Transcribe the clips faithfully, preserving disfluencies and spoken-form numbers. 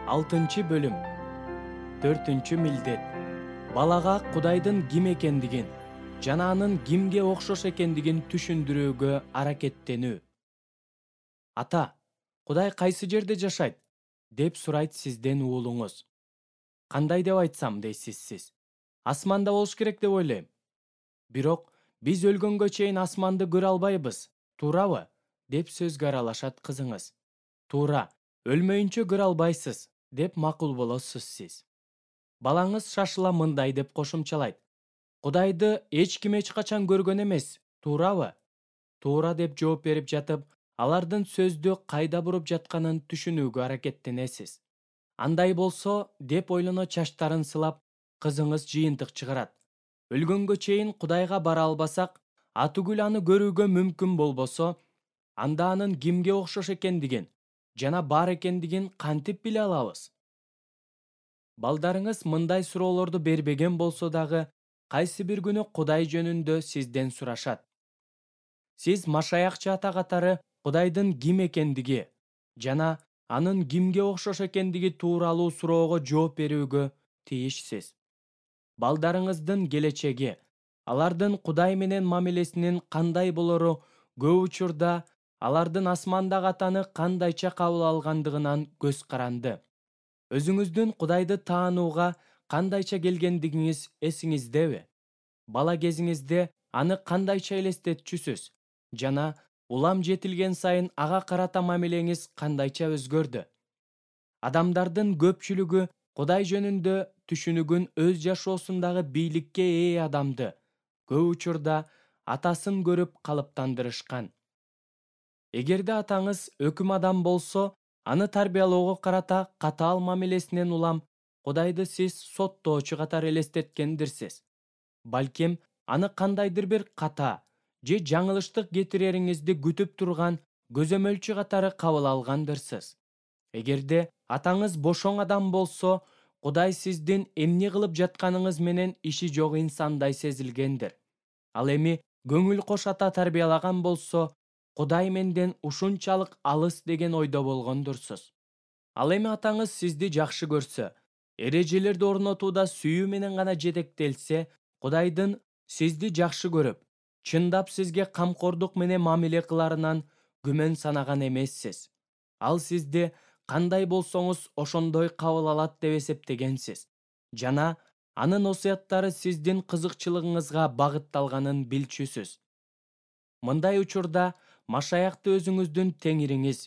Алтынчы бөлүм. Төртүнчү милдет. Балага Кудайдын ким экендигин жана анын кимге окшош экендигин түшүндүрүүгө аракеттенүү. Ата, Кудай кайсы жерде жашайт? Деп сурайт сизден уулуңуз. Кандай деп айтсам дейсиз сиз? Асманда болуш керек деп ойлойм. Бирок биз өлгөнгө чейин асманды көрө албайбыз, туурабы? Деп сөзгө аралашат кызыңыз. Туура, өлмөйүнчө көрө албайсыз, деп макул болосуз сиз. Балаңыз шашыла мындай деп кошумчалайт. Кудайды эч ким эч качан көргөн эмес, туурабы? Туура деп жооп берип жатып, алардын сөздү кайда буруп жатканын түшүнүүгө аракеттенесиз. Андай болсо, деп ойлоно чачтарын сылап, кызыңыз жыйынтык чыгарат. Өлгөнгө чейин Кудайга бара албасак, атүгүл аны көрүүгө мүмкүн болбосо, анда анын кимге окшош экендигин жана бар экендигин кантип биле алабыз? Балдарыңыз мындай суроолорду бербеген болсо дагы, кайсы бир күнү Кудай жөнүндө сизден сурашат. Сиз Машаякчы ата катары Кудайдын ким экендиги жана анын кимге окшош экендиги тууралуу суроого жооп берүүгө тийишсиз. Балдарыңыздын келечеги, алардын Кудай менен мамилесинин кандай болору көп учурда алардын асмандагы атаны кандайча кабыл алгандыгынан көз каранды. Өзүңүздүн Кудайды таанууга кандайча келгендигиңиз эсиңиздеби? Бала кезиңизде аны кандайча элестетчүсүз жана улам жетилген сайын ага карата мамилеңиз кандайча өзгөрдү? Адамдардын көпчүлүгү Кудай жөнүндө түшүнүгүн өз жашоосундагы бийликке ээ адамды көп учурда атасын көрүп калыптандырышкан. Эгерде атаңыз өкүм адам болсо, аны тарбиялоого карата катаал мамилесинен улам Кудайды сиз соттоочу катары элестеткендирсиз. Балким аны кандайдыр бир ката же жаңылыштык кетирериңизди күтүп турган көзөмөлчү катары кабыл алгандырсыз. Эгерде атаңыз бошоң адам болсо, Кудай сиздин эмне кылып жатканыңыз менен иши жок инсандай сезилгендир. Ал эми көңүл кош ата тарбиялаган болсо, Кудай менден ушунчалык алыс деген ойдо болгондурсуз. Ал эми атаңыз сизди жакшы көрсө, эрежелерди орнотууда сүйүү менен гана жетектелсе, Кудайдын сизди жакшы көрүп, чындап сизге камкордук менен мамиле кыларынан күмөн санаган эмессиз. Ал сизди кандай болсоңуз ошондой кабыл алат деп эсептегенсиз жана анын осуяттары сиздин кызыкчылыгыңызга багытталганын билчүсүз. Мындай учурда Машаякты өзүңүздүн теңириңиз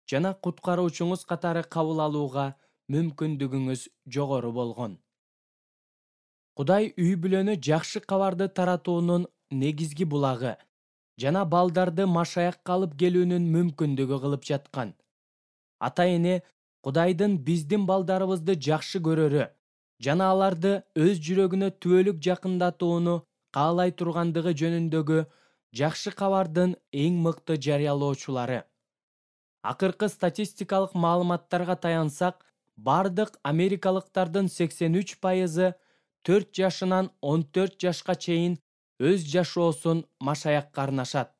жана куткаруучуңуз катары кабыл алууга мүмкүндүгүңүз жогору болгон. Кудай үй бүлөнү жакшы кабарды таратуунун негизги булагы жана балдарды Машаякка алып келүүнүн мүмкүндүгү кылып жаткан. Ата-эне Кудайдын биздин балдарыбызды жакшы көрөрү жана аларды өз жүрөгүнө түбөлүк жакындатууну каалай тургандыгы жөнүндөгү жакшы кабардын эң мыкты жарыялоочулары. Акыркы статистикалык маалыматтарга таянсак, бардык америкалыктардын сексен үч пайызы төрт жашынан он төрт жашка чейин өз жашоосун Машаякка арнашат.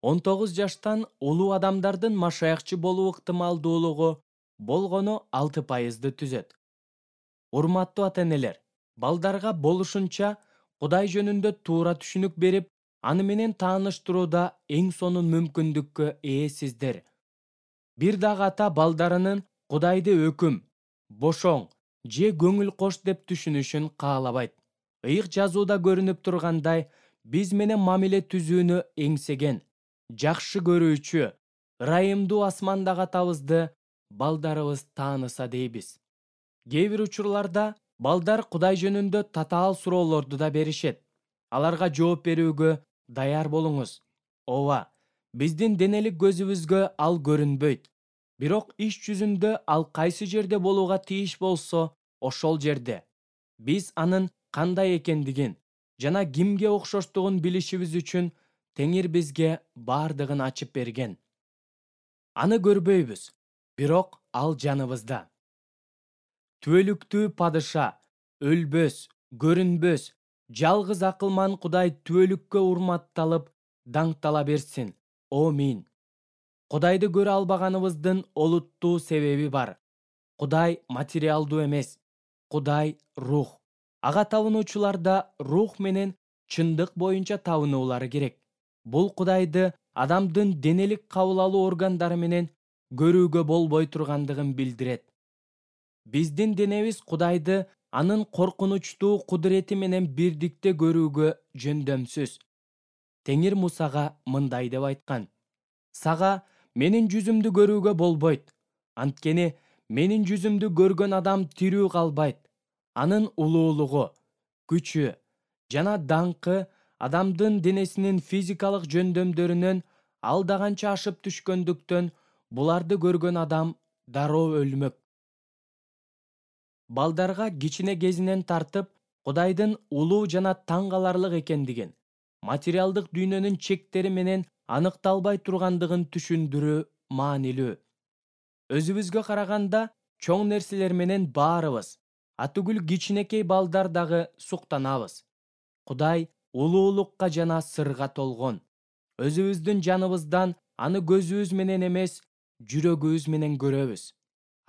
он тогуз жаштан улуу адамдардын Машаякчы болуу ыктымалдуулугу болгону алты пайызды түзөт. Урматтуу ата-энелер, балдарга болушунча Кудай жөнүндө туура түшүнүк берип, аны менен тааныштырууда эң сонун мүмкүндүккө ээсиздер. Бир дагы ата балдарынын Кудайды өкүм, бошоң же көңүл кош деп түшүнүшүн каалабайт. Ыйык жазууда көрүнүп тургандай, биз менен мамиле түзүүнү эңсеген, жакшы көрүүчү, ырайымдуу асмандагы атабызды балдарыбыз тааныса дейбиз. Кээ бир учурларда балдар Кудай жөнүндө татаал суроолорду да беришет. Аларга жооп берүүгө даяр болуңуз. Ооба, биздин денелик көзүбүзгө ал көрүнбөйт. Бирок иш жүзүндө ал кайсы жерде болууга тийиш болсо, ошол жерде. Биз анын кандай экендигин жана кимге окшоштугун билишибиз үчүн Теңир бизге бардыгын ачып берген. Аны көрбөйбүз, бирок ал жаныбызда. Түбөлүктүү падыша, өлбөс, көрүнбөс, жалгыз акылман Кудай түбөлүккө урматталып, даңктала берсин. Амин. Кудайды көрө албаганыбыздын олуттуу себеби бар. Кудай материалдуу эмес. Кудай рух. Ага табынуучуларда рух менен чындык боюнча табынуулары керек. Бул Кудайды адамдын денелик кабыл алуу органдары менен көрүүгө болбой тургандыгын билдирет. Биздин денебиз Кудайды анын коркунучтуу кудурети менен бирдикте көрүүгө жөндөмсүз. Теңир Мусага мындай деп айткан: «Сага менин жүзүмдү көрүүгө болбойт. Анткени менин жүзүмдү көргөн адам тирүү калбайт. Анын улуулугу, күчү жана даңкы адамдын денесинин физикалык жөндөмдөрүнөн алда канча ашып түшкөндүктөн буларды көргөн адам дароо өлмөк». Балдарга кичине кезинен тартып Кудайдын улуу жана таң каларлык экендигин, материалдык дүйнөнүн чектери менен аныкталбай тургандыгын түшүндүрүү маанилүү. Өзүбүзгө караганда чоң нерселер менен баарыбыз, атүгүл кичинекей балдар дагы суктанабыз. Кудай улуулукка жана сырга толгон. Өзүбүздүн жаныбыздан аны көзүбүз менен эмес, жүрөгүбүз менен көрөбүз.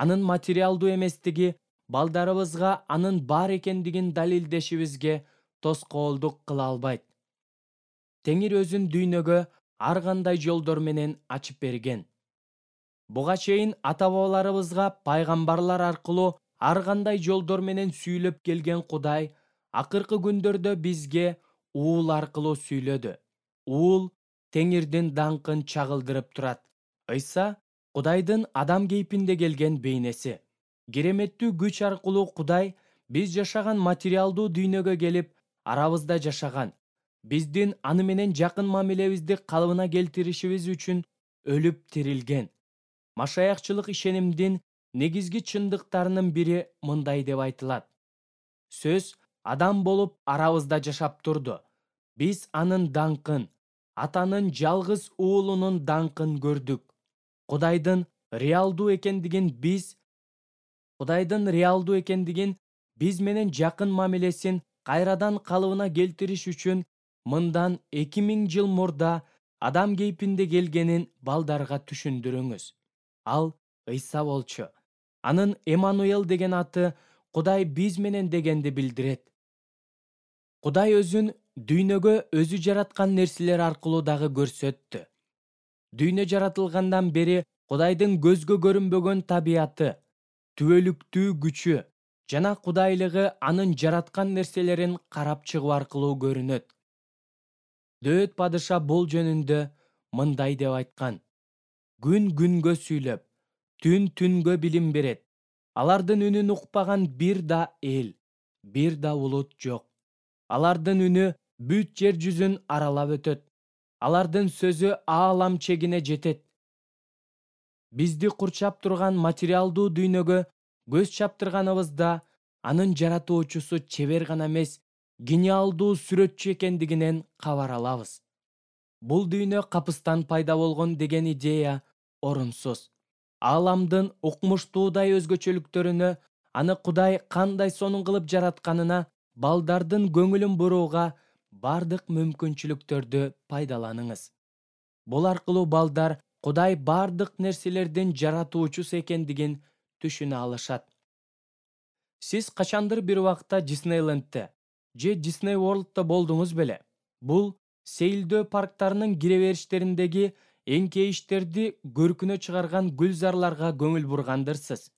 Анын материалдуу эместиги балдарыбызга анын бар экендигин далилдешибизге тоскоолдук кыла албайт. Теңир өзүн дүйнөгө ар кандай жолдор менен ачып берген. Буга чейин ата-бабаларыбызга пайгамбарлар аркылуу ар кандай жолдор менен сүйлөп келген Кудай акыркы күндөрдө бизге уул аркылуу сүйлөдү. Уул Теңирдин даңкын чагылдырып турат. Ыйса Кудайдын адам кейпинде келген бейнеси. Кереметтүү күч аркылуу Кудай биз жашаган материалдуу дүйнөгө келип, арабызда жашаган. Биздин аны менен жакын мамилебизди калыбына келтиришибиз үчүн өлүп тирилген. Машаякчылык ишенимдин негизги чындыктарынын бири мындай деп айтылат: Сөз адам болуп арабызда жашап турду. Биз анын даңкын, атанын жалгыз уулунун даңкын көрдүк. Кудайдын реалдуу экендигин биз Кудайдын реалдуу экендигин биз менен жакын мамилесин кайрадан калыбына келтириш үчүн мындан эки миң жыл мурда адам кейпинде келгенин балдарга түшүндүрүңүз. Ал Ыйса болчу. Анын Эммануэл деген аты Кудай биз менен дегенди билдирет. Кудай өзүн дүйнөгө өзү жараткан нерселер аркылуу дагы көрсөттү. Дүйнө жаратылгандан бери Кудайдын көзгө көрүнбөгөн табияты, түбөлүктүү күчү жана кудайлыгы анын жараткан нерселерин карап чыгуу аркылуу көрүнөт. Дөөт падыша бул жөнүндө мындай деп айткан: Күн күнгө сүйлөп, түн түнгө билим берет. Алардын үнүн укпаган бир да эл, бир да улут жок. Алардын үнү бүт жер жүзүн аралап өтөт. Алардын сөзү аалам чегине жетет. Бизди курчап турган материалдуу дүйнөгө көз чаптырганыбызда анын жаратуучусу чебер гана эмес, гениалдуу сүрөтчү экендигинен кабар алабыз. Бул дүйнө капыстан пайда болгон деген идея орунсуз. Ааламдын укмуштуудай өзгөчөлүктөрүнө, аны Кудай кандай сонун кылып жаратканына балдардын көңүлүн бурууга бардык мүмкүнчүлүктөрдү пайдаланыңыз. Бул аркылуу балдар Кудай бардык нерселердин жаратуучусу экендигин түшүнө алышат. Сиз качандыр бир убакта Диснейлендте же Disney World'та болдуңуз беле? Бул сейилдөө парктарынын кире бериштериндеги эңкейиштерди көркүнө чыгарган гүлзарларга көңүл бургандырсыз.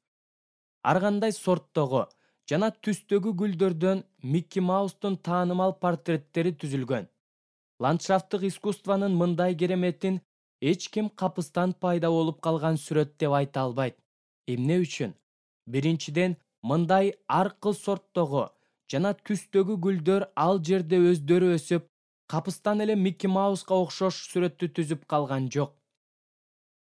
Ар кандай сорттогу жана түстөгү гүлдөрдөн Микки Маустун таанымал портреттери түзүлгөн. Ландшафттык искусствонун мындай кереметин эч ким капыстан пайда болуп калган сүрөт деп айта албайт. Эмне үчүн? Биринчиден, мындай ар кыл сорттогу жана түстөгү гүлдөр ал жерде өздөрү өсүп, капыстан эле Микки Мауска окшош сүрөттү түзүп калган жок.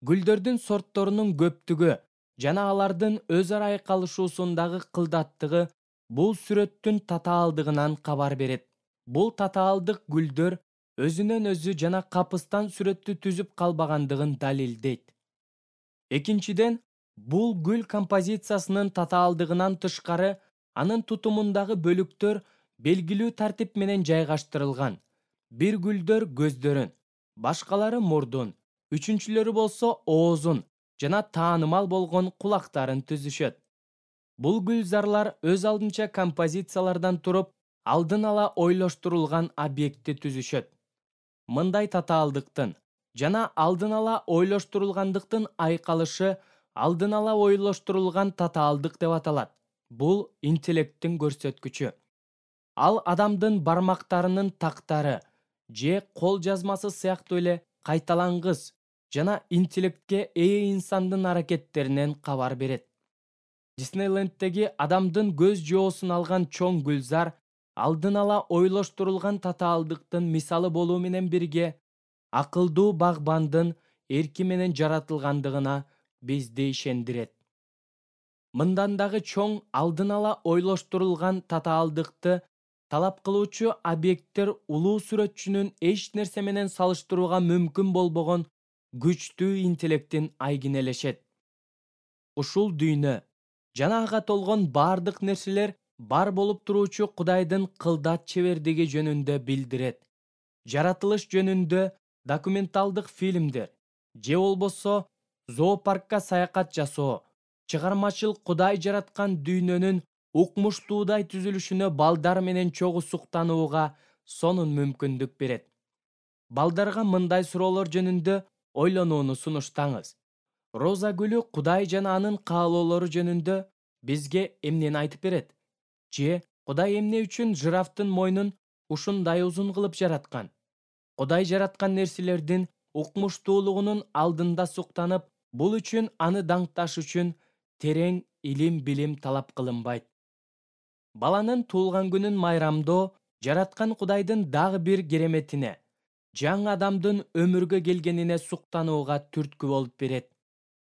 Гүлдөрдүн сортторунун көптүгү жана алардын өз ара айкалышуусундагы кылдаттыгы бул сүрөттүн татаалдыгынан кабар берет. Бул татаалдык гүлдөр өзүнөн өзү жана капыстан сүрөттү түзүп калбагандыгын далилдейт. Экинчиден, бул гүл композициясынын татаалдыгынан тышкары анын тутумундагы бөлүктөр белгилүү тартип менен жайгаштырылган. Бир гүлдөр көздөрүн, башкалары мурдун, үчүнчүлөрү болсо оозун жана таанымал болгон кулактарын түзүшөт. Бул гүлзарлар өз алдынча композициялардан туруп, алдын ала ойлоштурулган объектти түзүшөт. Мындай татаалдыктын жана алдын ала ойлоштурулгандыктын айкалышы алдын ала ойлоштурулган татаалдык деп аталат. Бул интеллекттин көрсөткүчү. Ал адамдын бармактарынын тактары же кол жазмасы сыяктуу эле кайталангыс жана интеллектке ээ инсандын аракеттеринен кабар берет. Диснейленддеги адамдын көз жоосун алган чоң гүлзар алдын ала ойлоштурулган татаалдыктын мисалы болуу менен бирге, акылдуу багбандын эрки менен жаратылгандыгына бизди ишендирет. Мындан дагы чоң алдын ала ойлоштурулган татаалдыкты талап кылуучу объекттер улуу сүрөтчүнүн эч нерсе менен салыштырууга мүмкүн болбогон күчтүү интеллектин айгинелешет. Ушул дүйнө жана ага толгон бардык нерселер бар болуп туруучу Кудайдын кылдат чебердиги жөнүндө билдирет. Жаратылыш жөнүндө документалдык фильмдер же болбосо зоопаркка саякат жасоо чыгармачыл Кудай жараткан дүйнөнүн укмуштуудай түзүлүшүнө балдар менен чогуу суктанууга сонун мүмкүндүк берет. Балдарга мындай суроолор жөнүндө ойлонууну сунуштаңыз. Роза гүлү Кудай жана анын каалоолору жөнүндө бизге эмнени айтып берет? Же Кудай эмне үчүн жирафтын мойнун ушундай узун кылып жараткан? Кудай жараткан нерселердин укмуштуулугунун алдында суктанып, бул үчүн аны даңкташ үчүн терең илим-билим талап кылынбайт. Баланын туулган күнүн майрамдоо жараткан Кудайдын дагы бир кереметине, жаңы адамдын өмүргө келгенине суктанууга түрткү болуп берет.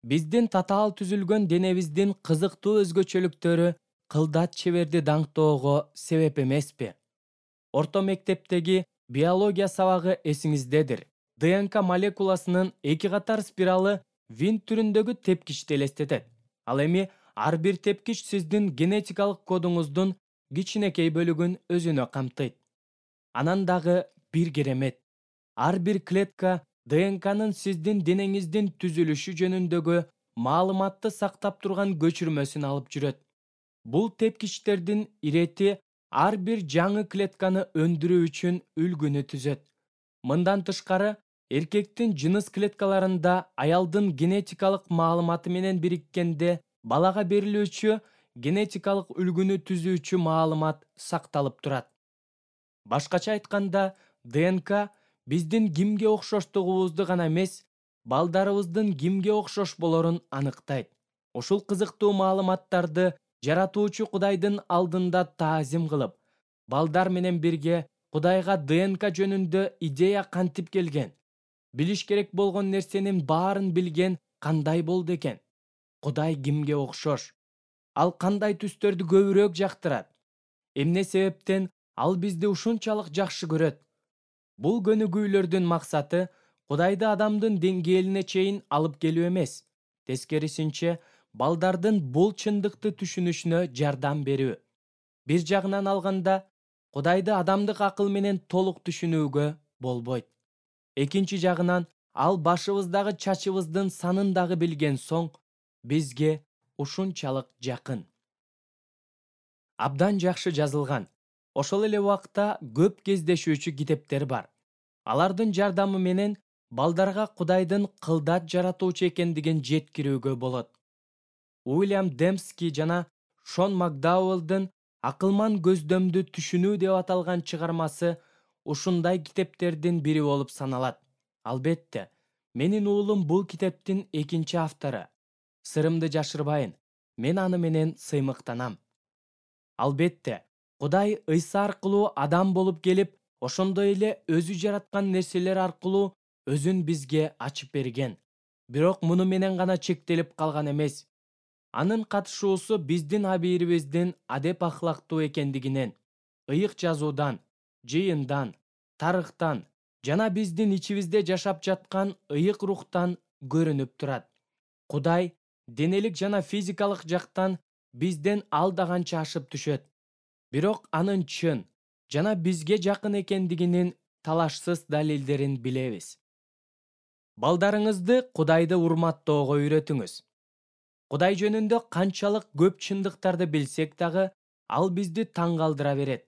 Биздин татаал түзүлгөн денебиздин кызыктуу өзгөчөлүктөрү кылдат чеберди даңктоого себеп эмеспи? Орто мектептеги биология сабагы эсиңиздедир. ДНК молекуласынын эки катар спиралы винт түрүндөгү тепкичти элестетет. Ал эми ар бир тепкич сиздин генетикалык кодуңуздун кичинекей бөлүгүн өзүнө камтыйт. Анан дагы бир керемет. Ар бир клетка ДНКнын сиздин денеңиздин түзүлүшү жөнүндөгү маалыматты сактап турган көчүрмөсүн алып жүрөт. Бул тепкичтердин ирети ар бир жаңы клетканы өндүрүү үчүн үлгүнү түзөт. Мындан тышкары, эркектин жыныс клеткаларында аялдын генетикалык маалыматы менен бириккенде балага берилүүчү генетикалык үлгүнү түзүүчү маалымат сакталып турат. Башкача айтканда, ДНК биздин кимге окшоштугубузду гана эмес, балдарыбыздын кимге окшош болорун аныктайт. Ушул кызыктуу маалыматтарды жаратуучу Кудайдын алдында таазим кылып, балдар менен бирге Кудайга ДНК жөнүндө идея кантип келген, билиш керек болгон нерсенин баарын билген кандай болду экен? Кудай кимге окшош? Ал кандай түстөрдү көбүрөөк жактырат? Эмне себептен ал бизди ушунчалык жакшы көрөт? Бул көнүгүүлөрдүн максаты Кудайды адамдын деңгээлине чейин алып келүү эмес, тескерисинче, балдардын бул чындыкты түшүнүшүнө жардам берүү. Бир жагынан алганда, Кудайды адамдык акыл менен толук түшүнүүгө болбойт. Экинчи жагынан, ал башыбыздагы чачыбыздын санын дагы билген соң, бизге ушунчалык жакын. Абдан жакшы жазылган, ошол эле убакта көп кездешүүчү китептер бар. Алардын жардамы менен балдарга Кудайдын кылдат жаратуучу экендигин жеткирүүгө болот. Уильям Демски жана Шон Макдауэллдын «Акылман көздөмдү түшүнүү» деп аталган чыгармасы ушундай китептердин бири болуп саналат. Албетте, менин уулум бул китептин экинчи автору. Сырымды жашырбайын, мен аны менен сыймыктанам. Албетте, Кудай Ыйса аркылуу адам болуп келип, ошондой эле өзү жараткан нерселер аркылуу өзүн бизге ачып берген. Бирок муну менен гана чектелип калган эмес. Анын катышуусу биздин абийирибиздин адеп ахлактуу экендигинен, ыйык жазуудан, жыйындан, тарыхтан жана биздин ичибизде жашап жаткан ыйык рухтан көрүнүп турат. Кудай денелик жана физикалык жактан бизден алда канча ашып түшөт. Бирок анын чын жана бизге жакын экендигинин талашсыз далилдерин билебиз. Балдарыңызды Кудайды урматтоого үйрөтүңүз. Кудай жөнүндө канчалык көп чындыктарды билсек дагы, ал бизди таң калтыра берет.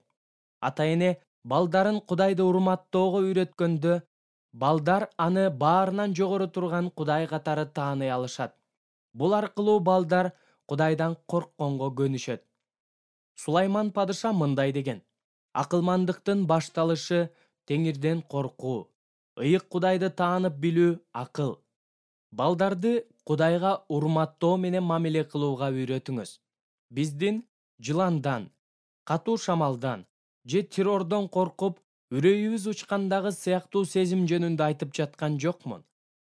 Ата-эне балдарын Кудайды урматтоого үйрөткөндө, балдар аны баарынан жогору турган Кудай катары тааный алышат. Бул аркылуу балдар Кудайдан коркконго көнүшөт. Сулайман падыша мындай деген: акылмандыктын башталышы Теңирден коркуу, ыйык Кудайды таанып билүү акыл. Балдарды Кудайга урматтоо менен мамиле кылууга үйрөтүңүз. Биздин жыландан, катуу шамалдан же террордон коркуп, үрөйүбүз учкандагы сыяктуу сезим жөнүндө айтып жаткан жокмун.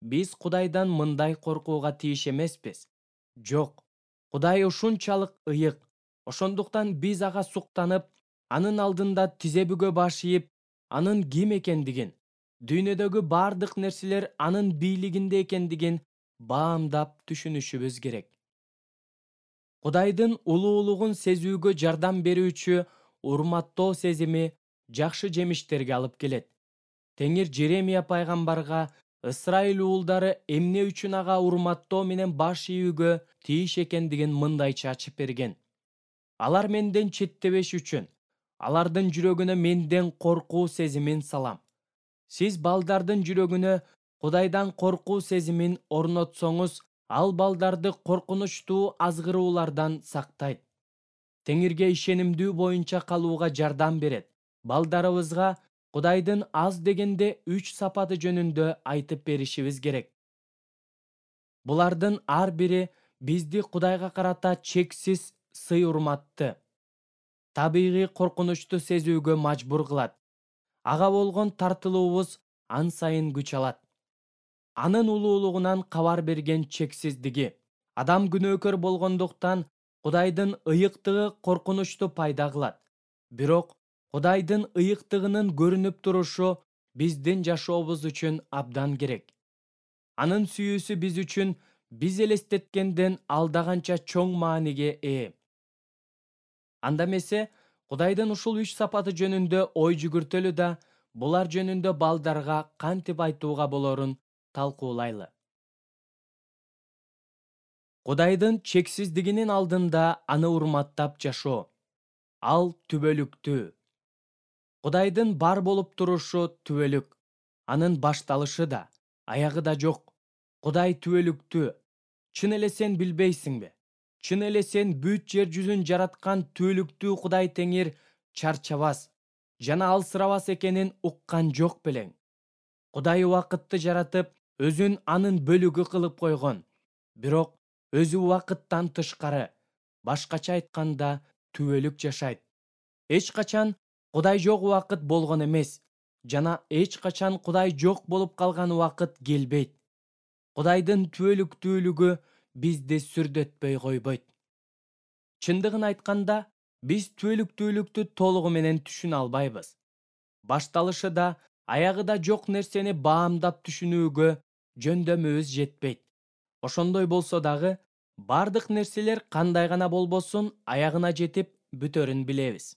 Биз Кудайдан мындай коркууга тийиш эмеспиз. Жок, Кудай ушунчалык ыйык. Ошондуктан биз ага суктанып, анын алдында тизе бүгө баш ийип, анын ким экендигин, дүйнөдөгү бардык нерселер анын бийлигинде экендигин баамдап түшүнүшүбүз керек. Кудайдын улуулугун сезүүгө жардам берүүчү урматтоо сезими жакшы жемиштерге алып келет. Теңир Жеремия пайгамбарга Ысрайыл уулдары эмне үчүн ага урматтоо менен баш ийүүгө тийиш экендигин мындайча ачып берген. Алар менден четтебеш үчүн, алардын жүрөгүнө менден коркуу сезимин салам. Сиз балдардын жүрөгүнө Кудайдан коркуу сезимин орнотсоңуз, ал балдарды коркунучтуу азгыруулардан сактайт. Теңирге ишенимдүү боюнча калууга жардам берет. Балдарыбызга Кудайдын аз дегенде үч сапаты жөнүндө айтып беришибиз керек. Булардын ар бири бизди Кудайга карата чексиз сый урматты, табигый коркунучту сезүүгө мажбур кылат. Ага болгон тартылуубуз ан сайын күч алат. Анын улуулугунан кабар берген чексиздиги. Адам күнөөкөр болгондуктан Кудайдын ыйыктыгы коркунучту пайда кылат. Бирок Кудайдын ыйыктыгынын көрүнүп турушу биздин жашообуз үчүн абдан керек. Анын сүйүүсү биз үчүн биз элестеткенден алдаганча чоң мааниге ээ. Анда эмесе, Кудайдын ушул үч сапаты жөнүндө ой жүгүртөлү да, булар жөнүндө балдарга кантип айтууга болорун талкуулайлы. Кудайдын чексиздигинин алдында аны урматтап жашоо. Ал түбөлүктүү. Кудайдын бар болуп турушу түбөлүк. Анын башталышы да, аягы да жок. Кудай түбөлүктүү. Чын эле сен билбейсиңби? Чын эле сен бүт жер жүзүн жараткан түбөлүктүү Кудай Теңир чарчабас жана алсырабас экенин уккан жок белең. Кудай убакытты жаратып, өзүн анын бөлүгү кылып койгон. Бирок өзү убакыттан тышкары, башкача айтканда, түбөлүк жашайт. Эч качан Кудай жок убакыт болгон эмес, жана эч качан Кудай жок болуп калган убакыт келбейт. Кудайдын түбөлүктүүлүгү бизди сүрдөтпөй койбойт. Чындыгын айтканда, биз түбөлүктүүлүктү толугу менен түшүнө албайбыз. Башталышы да, аягы да жок нерсени баамдап түшүнүүгө жөндөмүбүз жетпейт. Ошондой болсо дагы, бардык нерселер кандай гана болбосун аягына жетип бүтөрүн билебиз.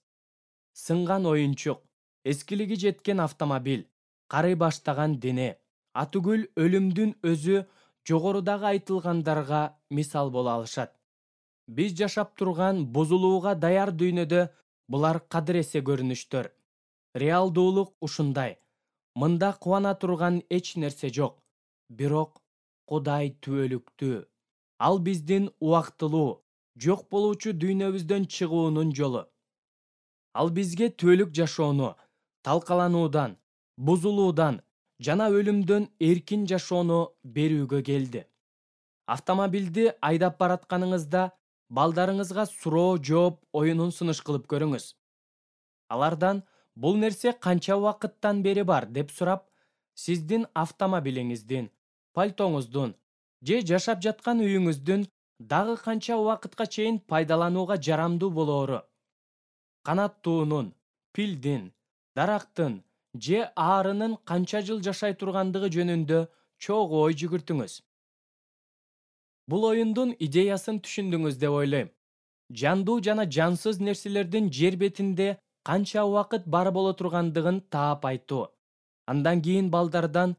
Сынган оюнчук, эскилиги жеткен автомобиль, карый баштаган дене, атүгүл өлүмдүн өзү жогорудагы айтылгандарга мисал боло алышат. Биз жашап турган бузулууга даяр дүйнөдө булар кадыресе көрүнүштөр. Реалдуулук ушундай. Мында кубана турган эч нерсе жок. Бирок Кудай түбөлүктүү. Ал биздин убактылуу, жок болуучу дүйнөбүздөн чыгуунун жолу. Ал бизге түбөлүк жашоону, талкалануудан, бузулуудан жана өлүмдөн эркин жашоону берүүгө келди. Автомобилди айдап баратканыңызда балдарыңызга суроо жооп оюнун сыныш кылып көрүңүз. Алардан бул нерсе канча убакыттан бери бар деп сурап, сиздин автомобилиңиздин, пальтоңуздун же жашап жаткан үйүңүздүн дагы канча убакытка чейин пайдаланууга жарамдуу болоору, канаттуунун, пилдин, дарактын же аарынын канча жыл жашай тургандыгы жөнүндө чогуу ой жүгүртүңүз. Бул оюндун идеясын түшүндүңүз деп ойлойм. Жандуу жана жансыз нерселердин жер бетинде канча убакыт бар боло тургандыгын таап айтуу. Андан кийин балдардан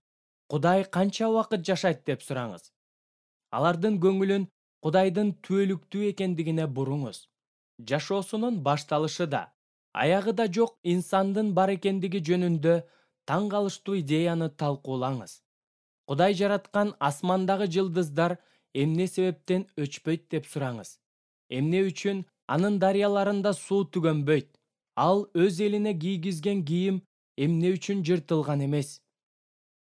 Кудай канча убакыт жашайт деп сураңыз. Алардын көңүлүн Кудайдын түбөлүктүү экендигине буруңуз. Жашоосунун башталышы да, аягы да жок инсандын бар экендиги жөнүндө таң калыштуу идеяны талкуулаңыз. Кудай жараткан асмандагы жылдыздар эмне себептен өчпөйт деп сураңыз. Эмне үчүн анын дарыяларында суу түгөнбөйт? Ал өз элине кийгизген кийим эмне үчүн жыртылган эмес?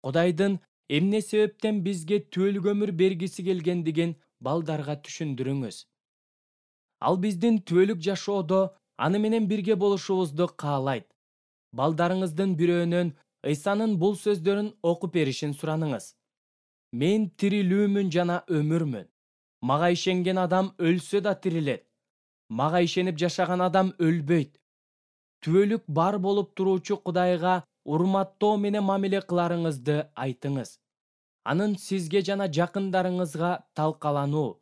Кудайдын эмне себептен бизге түбөлүк өмүр бергиси келгендигин балдарга түшүндүрүңүз. Ал биздин түбөлүк жашоодо аны менен бирге болушубузду каалайт. Балдарыңыздын бирөөнөн Ыйсанын бул сөздөрүн окуп беришин сураныңыз. Мен тирилүүмүн жана өмүрмүн. Мага ишенген адам өлсө да тирилет. Мага ишенип жашаган адам өлбөйт. Түбөлүк бар болуп туруучу Кудайга урматтоо менен мамиле кыларыңызды айтыңыз. Анын сизге жана жакындарыңызга талкалануу,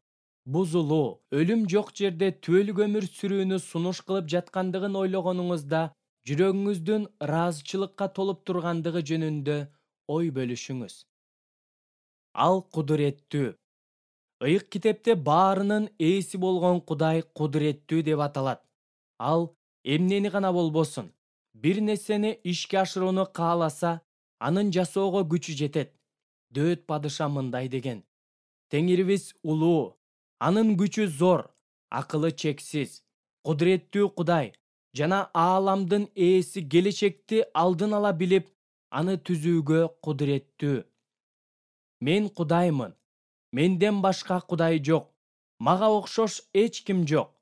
бузулуу, өлүм жок жерде түбөлүк өмүр сүрүүнү сунуш кылып жаткандыгын ойлогонуңузда жүрөгүңүздүн ыраазычылыкка толуп тургандыгы жөнүндө ой бөлүшүңүз. Ал кудуреттүү. Ыйык китепте баарынын ээси болгон Кудай кудуреттүү деп аталат. Ал эмнени гана болбосун, бир нерсени ишке ашырууну кааласа, анын жасоого күчү жетет. Дөөт падыша мындай деген: Теңирибиз улуу, анын күчү зор, акылы чексиз, кудуреттүү Кудай жана ааламдын ээси келечекти алдын ала билип, аны түзүүгө кудуреттүү. Мен Кудаймын. Менден башка Кудай жок. Мага окшош эч ким жок.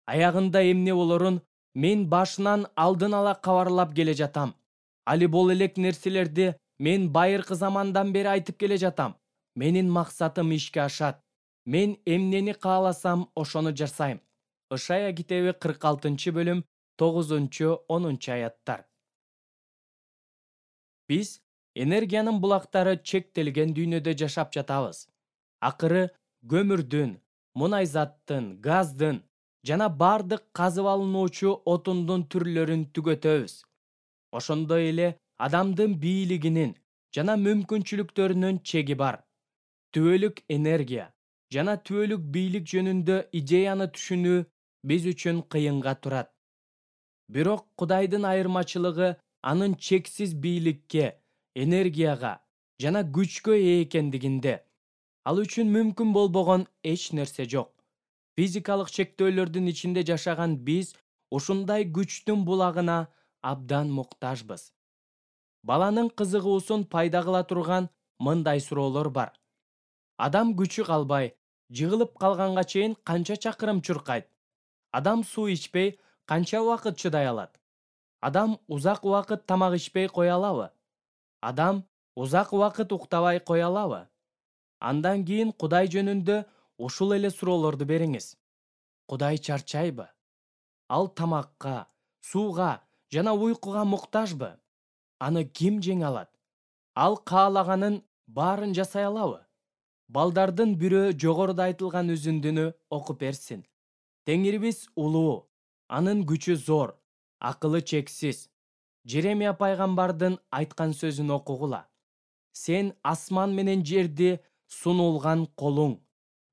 Аягында эмне болорун мен башынан алдын ала кабарлап келе жатам. Али бул элек нерселерди мен байыркы замандан бери айтып келе жатам. Менин максатым ишке ашат. Мен эмнени кааласам, ошону жасайм. Ышая китеби кырк алтынчы бөлүм тогузунчу онунчу аяттар. Биз энергиянын булактары чектелген дүйнөдө жашап жатабыз. Акыры көмүрдүн, мунайзаттын, газдын жана бардык казып алынуучу отундун түрлөрүн түгөтөбүз. Ошондой эле адамдын бийлигинин жана мүмкүнчүлүктөрүнүн чеги бар. Түбөлүк энергия жана түбөлүк бийлик жөнүндө идеяны түшүнүү биз үчүн кыйынга турат. Бирок Кудайдын айырмачылыгы анын чексиз бийликке, энергияга жана күчкө ээ экендигинде. Ал үчүн мүмкүн болбогон эч нерсе жок. Физикалык чектөөлөрдүн ичинде жашаган биз ушундай күчтүн булагына абдан муктажбыз. Баланын кызыгуусун пайда кыла турган мындай суроолор бар. Адам күчү калбай, жыгылып калганга чейин канча чакырым чуркайт? Адам суу ичпей канча убакыт чыдай алат? Адам узак убакыт тамак ичпей кое алабы? Адам узак убакыт уктабай кое алабы? Андан кийин Кудай жөнүндө ушул эле суроолорду бериңиз. Кудай чарчайбы? Ал тамакка, сууга жана уйкуга муктажбы? Аны ким жеңе алат? Ал каалаганын баарын жасай алабы? Балдардын бирөө жогоруда айтылган үзүндүнү окуп берсин. Теңирибиз улуу, анын күчү зор, акылы чексиз. Жеремия пайгамбардын айткан сөзүн окугула. Сен асман менен жерди сунулган колуң,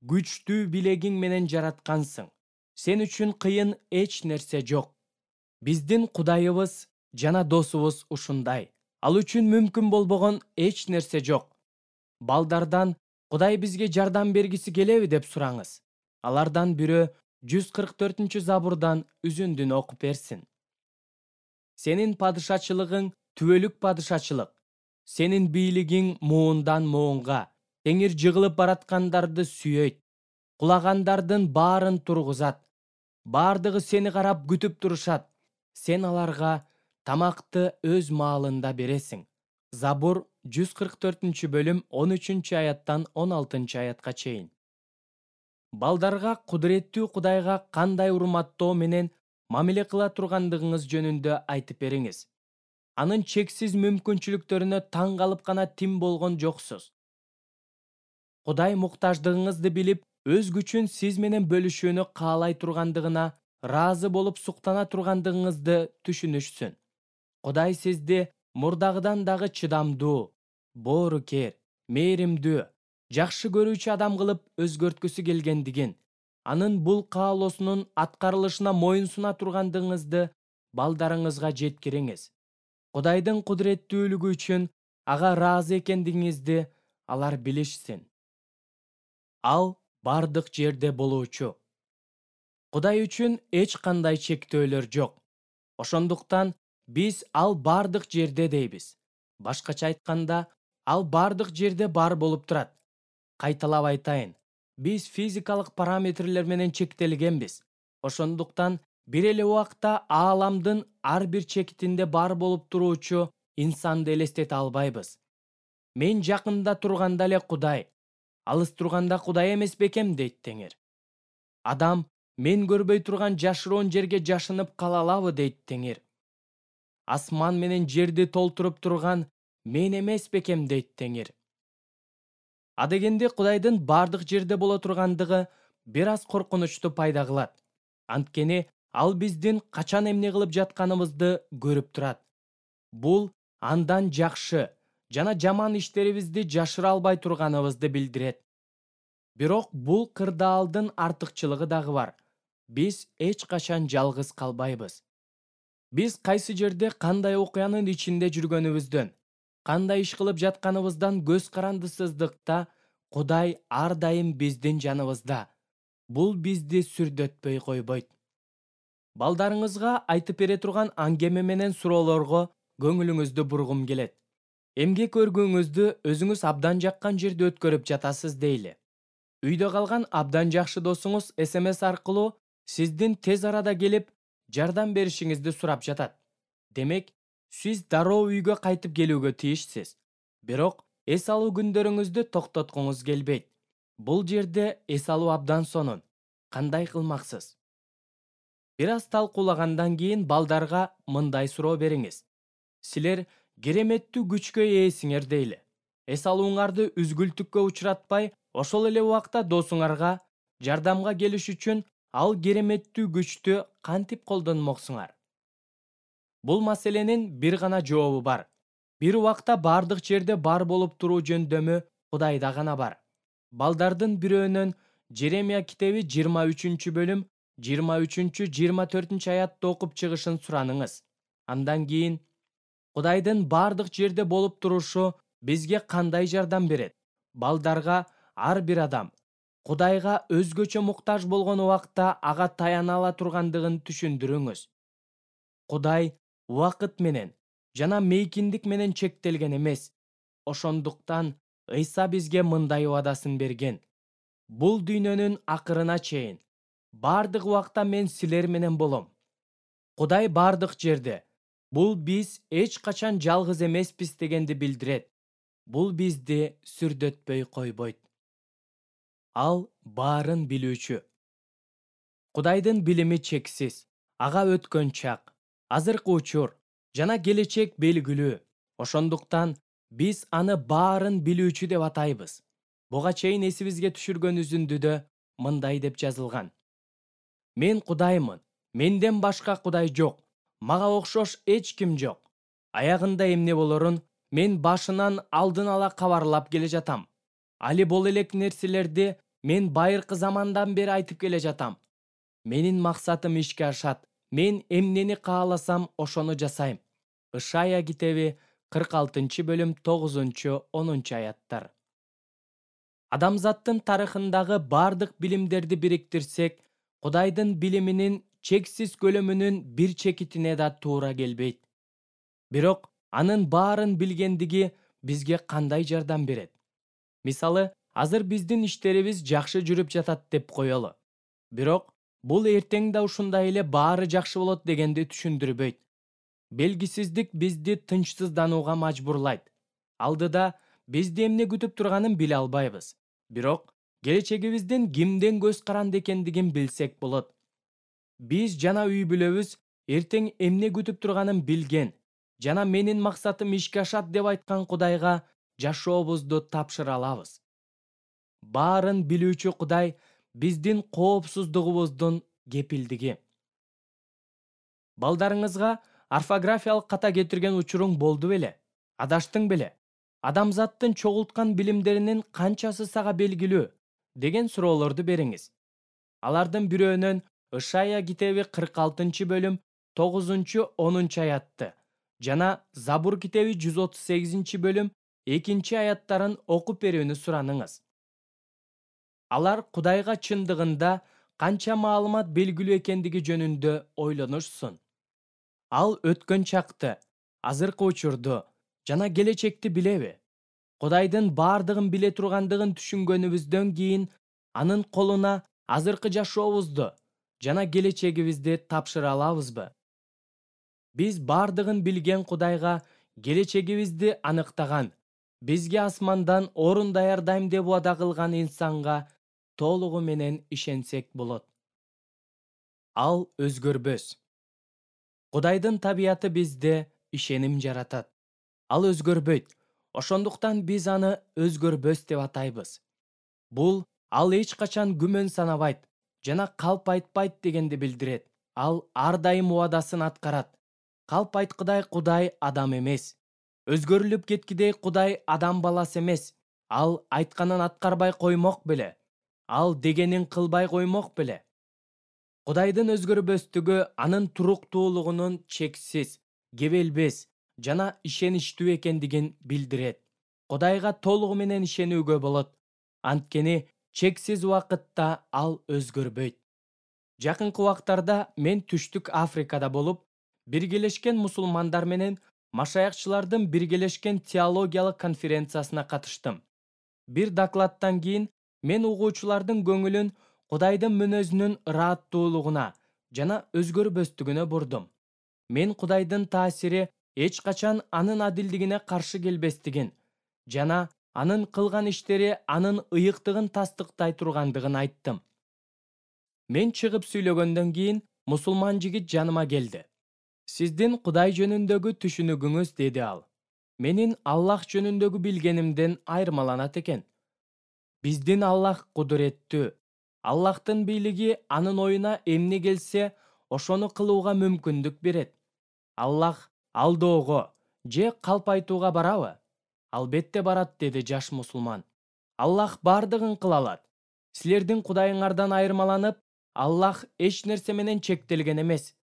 күчтүү билегиң менен жараткансың. Сен үчүн кыйын эч нерсе жок. Биздин Кудайыбыз жана досубуз ушундай. Ал үчүн мүмкүн болбогон эч нерсе жок. Балдардан Кудай бизге жардам бергиси келеби деп сураңыз. Алардан бирөө жүз кырк төртүнчү забурдан үзүндүнү окуп берсин. Сенин падышачылыгың түбөлүк падышачылык. Сенин бийлигиң муундан муунга. Теңир жыгылып бараткандарды сүйөйт. Кулагандардын баарын тургузат. Бардыгы сени карап күтүп турушат. Сен аларга тамакты өз маалында бересиң. Забур жүз кырк төртүнчү бөлүм он үчүнчү аяттан он алтынчы аятка чейин. Балдарга кудуреттүү Кудайга кандай урматтоо менен мамиле кыла тургандыгыңыз жөнүндө айтып бериңиз. Анын чексиз мүмкүнчүлүктөрүнө таң калып гана тим болгон жоксуз. Кудай муктаждыгыңызды билип, өз күчүн сиз менен бөлүшүүнү каалай тургандыгына ыраазы болуп суктана тургандыгыңызды түшүнүшсүн. Кудай сизди мурдагыдан дагы чыдамдуу, боорукер, мээримдүү, жакшы көрүүчү адам кылып өзгөрткүсү келгендигин, анын бул каалоосунун аткарылышына моюн суна тургандыгыңызды балдарыңызга жеткириңиз. Кудайдын кудуреттүүлүгү үчүн ага ыраазы экендигиңизди алар билишсин. Ал бардык жерде болуучу. Кудай үчүн эч кандай чектөөлөр жок. Ошондуктан биз ал бардык жерде дейбиз. Башкача айтканда, ал бардык жерде бар болуп турат. Кайталап айтайын, биз физикалык параметрлер менен чектелгенбиз. Ошондуктан бир эле убакта ааламдын ар бир чекитинде бар болуп туруучу инсанды элестете албайбыз. Мен жакында турганда эле Кудай, алыс турганда Кудай эмес бекем дейт Теңир. Адам мен көрбөй турган жашыруун жерге жашынып кала алабы дейт Теңир. Асман менен жерди толтуруп турган мен эмес бекем дейт Теңир. Адегенде Кудайдын бардык жерде боло тургандыгы бир аз коркунучту пайда кылат. Анткени ал биздин качан эмне кылып жатканыбызды көрүп турат. Бул андан жакшы жана жаман иштерибизди жашыра албай турганыбызды билдирет. Бирок бул кырдаалдын артыкчылыгы дагы бар. Биз эч качан жалгыз калбайбыз. Биз кайсы жерде кандай окуянын ичинде жүргөнүбүздөн, кандай иш кылып жатканыбыздан көз карандысыздыкта Кудай ар дайым биздин жаныбызда. Бул бизди сүрдөтпөй койбойт. Балдарыңызга айтып бере турган аңгеме менен суроолорго көңүлүңүздү бургум келет. Эмгек өргүүңүздү өзүңүз абдан жаккан жерде өткөрүп жатасыз дейли. Үйдө калган абдан жакшы досуңуз эс эм эс аркылуу сиздин тез арада келип жардам беришиңизди сурап жатат. Демек, сиз дароо үйгө кайтып келүүгө тийишсиз. Бирок эс алуу күндөрүңүздү токтоткуңуз келбейт. Бул жерде эс алуу абдан сонун. Кандай кылмаксыз? Бир аз талкуулагандан кийин балдарга мындай суроо бериңиз. Силер кереметтүү күчкө ээсиңер дейли. Эс алууңарды үзгүлтүккө учуратпай, ошол эле убакта досуңарга жардамга келиш үчүн ал кереметтүү күчтү кантип колдонмоксуңар? Бул маселенин бир гана жообу бар. Бир убакта бардык жерде бар болуп туруу жөндөмү Кудайда гана бар. Балдардын бирөөнөн Жеремия китеби жыйырма үчүнчү бөлүм жыйырма үчүнчү жыйырма төртүнчү аятты окуп чыгышын сураныңыз. Андан кийин Кудайдын бардык жерде болуп турушу бизге кандай жардам берет? Балдарга ар бир адам Кудайга өзгөчө муктаж болгон убакта ага таяна ала тургандыгын түшүндүрүңүз. Кудай убакыт менен жана мейкиндик менен чектелген эмес. Ошондуктан Ыйса бизге мындай убадасын берген. Бул дүйнөнүн акырына чейин бардык убакта мен силер менен болом. Кудай бардык жерде. Бул биз эч качан жалгыз эмеспиз дегенди билдирет. Бул бизди сүрдөтпөй койбойт. Ал баарын билүүчү. Кудайдын билими чексиз. Ага өткөн чак, азыркы учур жана келечек белгилүү. Ошондуктан биз аны баарын билүүчү деп атайбыз. Буга чейин эсибизге түшүргөн үзүндүдө мындай деп жазылган. Мен Кудаймын, менден башка Кудай жок. Мага окшош эч ким жок. Аягында эмне болорун мен башынан алдын ала кабарлап келе жатам. Али бул элек нерселерди мен байыркы замандан бери айтып келе жатам. Менин максатым ишке ашат. Мен эмнени кааласам, ошону жасайм. Ышая китеби кырк алтынчы бөлүм тогузунчу онунчу аяттар. Адамзаттын тарыхындагы бардык билимдерди бириктирсек, Кудайдын билиминин чексиз көлөмүнүн бир чекитине да туура келбейт. Бирок анын баарын билгендиги бизге кандай жардам берет? Мисалы, азыр биздин иштерибиз жакшы жүрүп жатат деп коелу. Бирок бул эртең да ушундай эле баары жакшы болот дегенди түшүндүрбөйт. Белгисиздик бизди тынчсызданууга мажбурлайт. Алдыда бизди эмне күтүп турганын биле албайбыз. Бирок келечегибиздин кимден көз каранды экендигин билсек болот. Биз жана үй бүлөбүз эртең эмне күтүп турганын билген жана менин максатым ишке ашат деп айткан Кудайга жашообузду тапшыра алабыз. Баарын билүүчү Кудай биздин коопсуздугубуздун кепилдиги. Балдарыңызга орфографиялык ката кетирген учуруң болду беле? Адаштың беле? Адамзаттын чогулткан билимдеринин канчасы сага белгилүү деген суроолорду бериңиз. Алардын бирөөнөн Ышая китеби кырк алтынчы бөлүм тогузунчу онунчу аятты жана Забур китеби жүз отуз сегизинчи бөлүм экинчи аяттарын окуп берүүнү сураныңыз. Алар Кудайга чындыгында канча маалымат белгилүү экендиги жөнүндө ойлонушсун. Ал өткөн чакты, азыркы учурду жана келечекти билеби? Кудайдын баардыгын биле тургандыгын түшүнгөнүбүздөн кийин анын колуна азыркы жашообузду жана келечегибизди тапшыра алабызбы? Биз баардыгын билген Кудайга келечегибизди аныктаган, бизге асмандан орун даярдайм деп убада кылган инсанга толугу менен ишенсек болот. Ал өзгөрбөс. Кудайдын табияты бизде ишеним жаратат. Ал өзгөрбөйт. Ошондуктан биз аны өзгөрбөс деп атайбыз. Бул ал эч качан күмөн санабайт жана калп айтпайт дегенди билдирет. Ал ар дайым убадасын аткарат. Калп айткыдай Кудай адам эмес. Өзгөрүлүп кеткидей Кудай адам баласы эмес. Ал айтканын аткарбай коймок беле. Ал дегенин кылбай коймок беле. Кудайдын өзгөрбөстүгү анын туруктуулугунун чексиз, кебелбес жана ишеничтүү экендигин билдирет. Кудайга толугу менен ишенүүгө болот. Анткени чексиз убакытта ал өзгөрбөйт. Жакынкы убактарда мен Түштүк Африкада болуп, Биргелешкен мусулмандар менен машаякчылардын биргелешкен теологиялык конференциясына катыштым. Бир докладтан кийин мен угуучулардын көңүлүн Кудайдын мүнөзүнүн ырааттуулугуна жана өзгөрбөстүгүнө бурдум. Мен Кудайдын таасири эч качан анын адилдигине каршы келбестигин жана анын кылган иштери анын ыйыктыгын тастыктай тургандыгын айттым. Мен чыгып сүйлөгөндөн кийин мусулман жигит жаныма келди. Сиздин Кудай жөнүндөгү түшүнүгүңүз, деди ал, менин Аллах жөнүндөгү билгенимден айырмаланат экен. Биздин Аллах кудуреттүү. Аллахтын бийлиги анын оюна эмне келсе, ошону кылууга мүмкүндүк берет. Аллах алдоого же калп айтууга барабы? Албетте барат, деди жаш мусулман. Аллах баардыгын кыла алат. Силердин Кудайыңардан айырмаланып, Аллах эч нерсе менен чектелген эмес.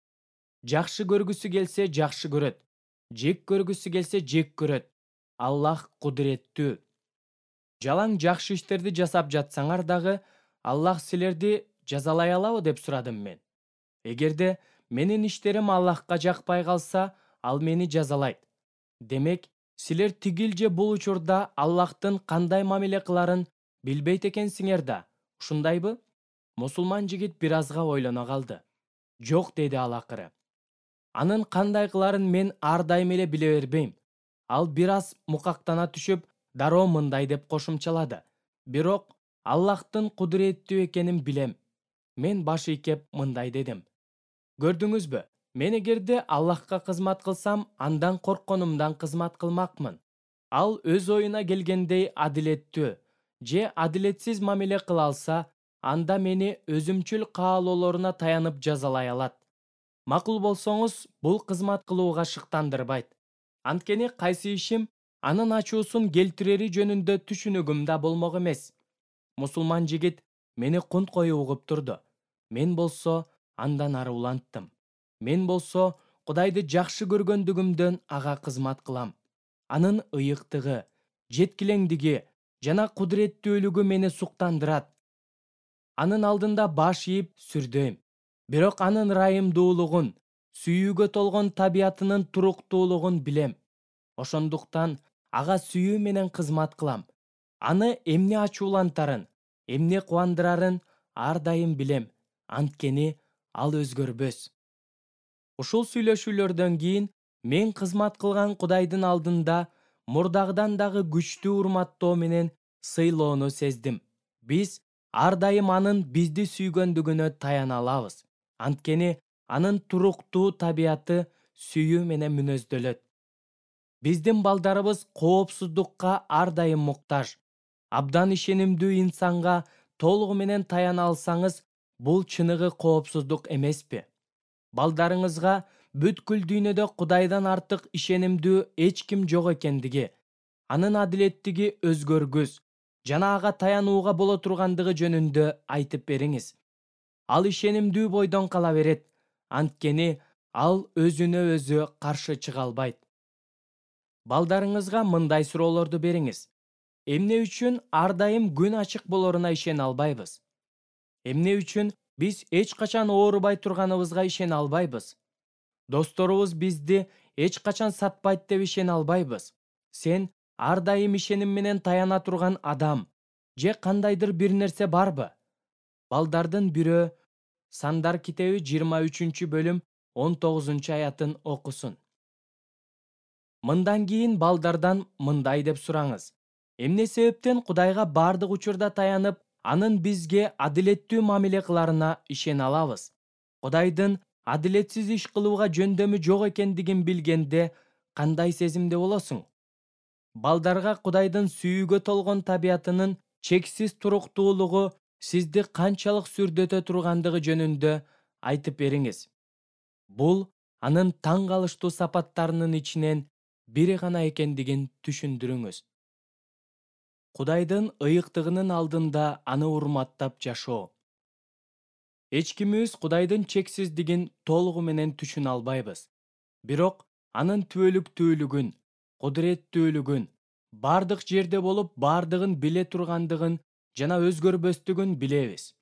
Жакшы көргүсү келсе жакшы көрөт, жек көргүсү келсе жек көрөт. Аллах кудуреттүү. Жалаң жакшы иштерди жасап жатсаңар дагы, Аллах силерди жазалай алабы деп сурадым мен. Эгерде менин иштерим Аллахка жакпай калса, ал мени жазалайт. Демек, силер тигил же бул учурда Аллахтын кандай мамиле кыларын билбейт экенсиңер да, ушундайбы? Мусулман жигит бир азга ойлоно калды. Жок, деди ал акыры. Анын кандай кыларын мен ар дайым эле биле бербейм. Ал бир аз мукактана түшүп, дароо мындай деп кошумчалады. Бирок Аллахтын кудуреттүү экенин билем. Мен баш ийкеп мындай дедим. Көрдүңүзбү? Мен эгерде Аллахка кызмат кылсам, андан коркконумдан кызмат кылмакмын. Ал өз оюна келгендей адилеттүү же адилетсиз мамиле кыла алса, анда мени өзүмчүл каалоолоруна таянып жазалай алат. Макул болсоңуз, бул кызмат кылууга шыктандырбайт. Анткени кайсы ишим анын ачуусун келтирери жөнүндө түшүнүгүм да болмок эмес. Мусулман жигит мени кунт коюп угуп турду. Мен болсо андан ары уланттым. Мен болсо Кудайды жакшы көргөндүгүмдөн ага кызмат кылам. Анын ыйыктыгы, жеткилеңдиги жана кудуреттүүлүгү мени суктандырат. Анын алдында баш ийип сүрдөйм. Бирок анын ырайымдуулугун, сүйүүгө толгон табиятынын туруктуулугун билем. Ошондуктан ага сүйүү менен кызмат кылам. Аны эмне ачуулантарын, эмне кубандырарын ар дайым билем. Анткени ал өзгөрбөс. Ушул сүйлөшүүлөрдөн кийин мен кызмат кылган Кудайдын алдында мурдагыдан дагы күчтүү урматтоо менен сыйлоону сездим. Биз ар дайым анын бизди сүйгөндүгүнө таяна алабыз. Анткени анын туруктуу табияты сүйүү менен мүнөздөлөт. Биздин балдарыбыз коопсуздукка ар дайым муктаж. Абдан ишенимдүү инсанга толугу менен таяна алсаңыз, бул чыныгы коопсуздук эмеспи? Балдарыңызга бүткүл дүйнөдө Кудайдан артык ишенимдүү эч ким жок экендиги, анын адилеттиги өзгөргүс жана ага таянууга боло тургандыгы жөнүндө айтып бериңиз. Ал ишенимдүү бойдон кала берет, анткени ал өзүнө өзү каршы чыга албайт. Балдарыңызга мындай суроолорду бериңиз. Эмне үчүн ар дайым күн ачык болоруна ишене албайбыз? Эмне үчүн биз эч качан оорубай турганыбызга ишене албайбыз? Досторубуз бизди эч качан сатпайт деп ишене албайбыз. Сен ар дайым ишеним менен таяна турган адам же кандайдыр бир нерсе барбы? Балдардын бирөө Сандар китеби жыйырма үчүнчү бөлүм он тогузунчу аятын окусун. Мындан кийин балдардан мындай деп сураңыз. Эмне себептен Кудайга бардык учурда таянып, анын бизге адилеттүү мамиле кыларына ишене алабыз? Кудайдын адилетсиз иш кылууга жөндөмү жок экендигин билгенде кандай сезимде болосуң? Балдарга Кудайдын сүйүүгө толгон табиятынын чексиз туруктуулугу сизди канчалык сүрдөтө тургандыгы жөнүндө айтып бериңиз. Бул анын таң калыштуу сапаттарынын ичинен бири гана экендигин түшүндүрүңүз. Кудайдын ыйыктыгынын алдында аны урматтап жашоо. Эч кимибиз Кудайдын чексиздигин толугу менен түшүнө албайбыз. Бирок анын түбөлүктүүлүгүн, кудуреттүүлүгүн, бардык жерде болуп бардыгын биле тургандыгын жана өзгөрбөстүгүн билебиз.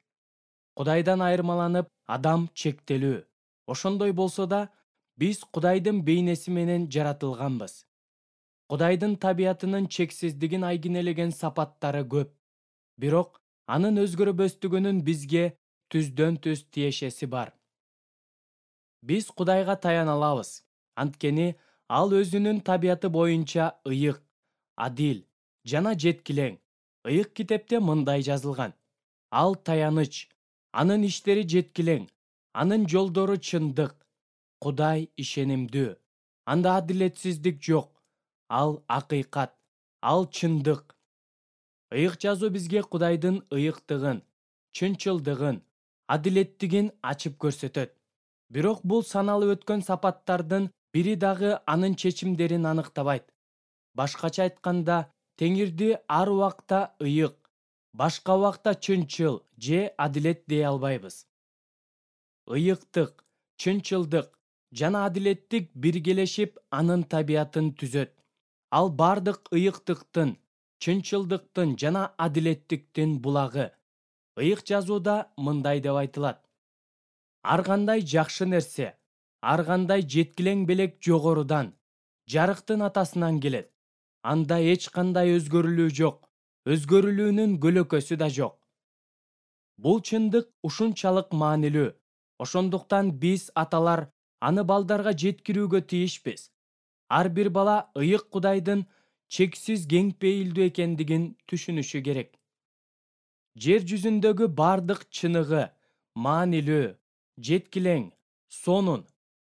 Кудайдан айырмаланып, адам чектелүү. Ошондой болсо да, биз Кудайдын бейнеси менен жаратылганбыз. Кудайдын табиятынын чексиздигин айгинелеген сапаттары көп. Бирок анын өзгөрбөстүгүнүн бизге түздөн түз тиешеси бар. Биз Кудайга таяна алабыз, анткени ал өзүнүн табияты боюнча ыйык, адил жана жеткилең. Ыйык китепте мындай жазылган. Ал таяныч, анын иштери жеткилең, анын жолдору чындык. Кудай ишенимдүү, анда адилетсиздик жок. Ал акыйкат, ал чындык. Ыйык жазуу бизге Кудайдын ыйыктыгын, чынчылдыгын, адилеттигин ачып көрсөтөт. Бирок бул саналып өткөн сапаттардын бири дагы анын чечимдерин аныктабайт. Башкача айтканда, Теңирди ар убакта ыйык, башка убакта чынчыл же адилет дей албайбыз. Ыйыктык, чынчылдык жана адилеттик биргелешип анын табиятын түзөт. Ал бардык ыйыктыктын, чынчылдыктын жана адилеттиктин булагы. Ыйык жазууда мындай деп айтылат. Ар кандай жакшы нерсе, ар кандай жеткилең белек жогорудан, жарыктын атасынан келет. Анда эч кандай өзгөрүлүү жок, өзгөрүлүүнүн көлөкөсү да жок. Бул чындык ушунчалык маанилүү. Ошондуктан биз аталар аны балдарга жеткирүүгө тийишпиз. Ар бир бала ыйык Кудайдын чексиз кең пейилдүү экендигин түшүнүшү керек. Жер жүзүндөгү бардык чыныгы, маанилүү, жеткилең, сонун,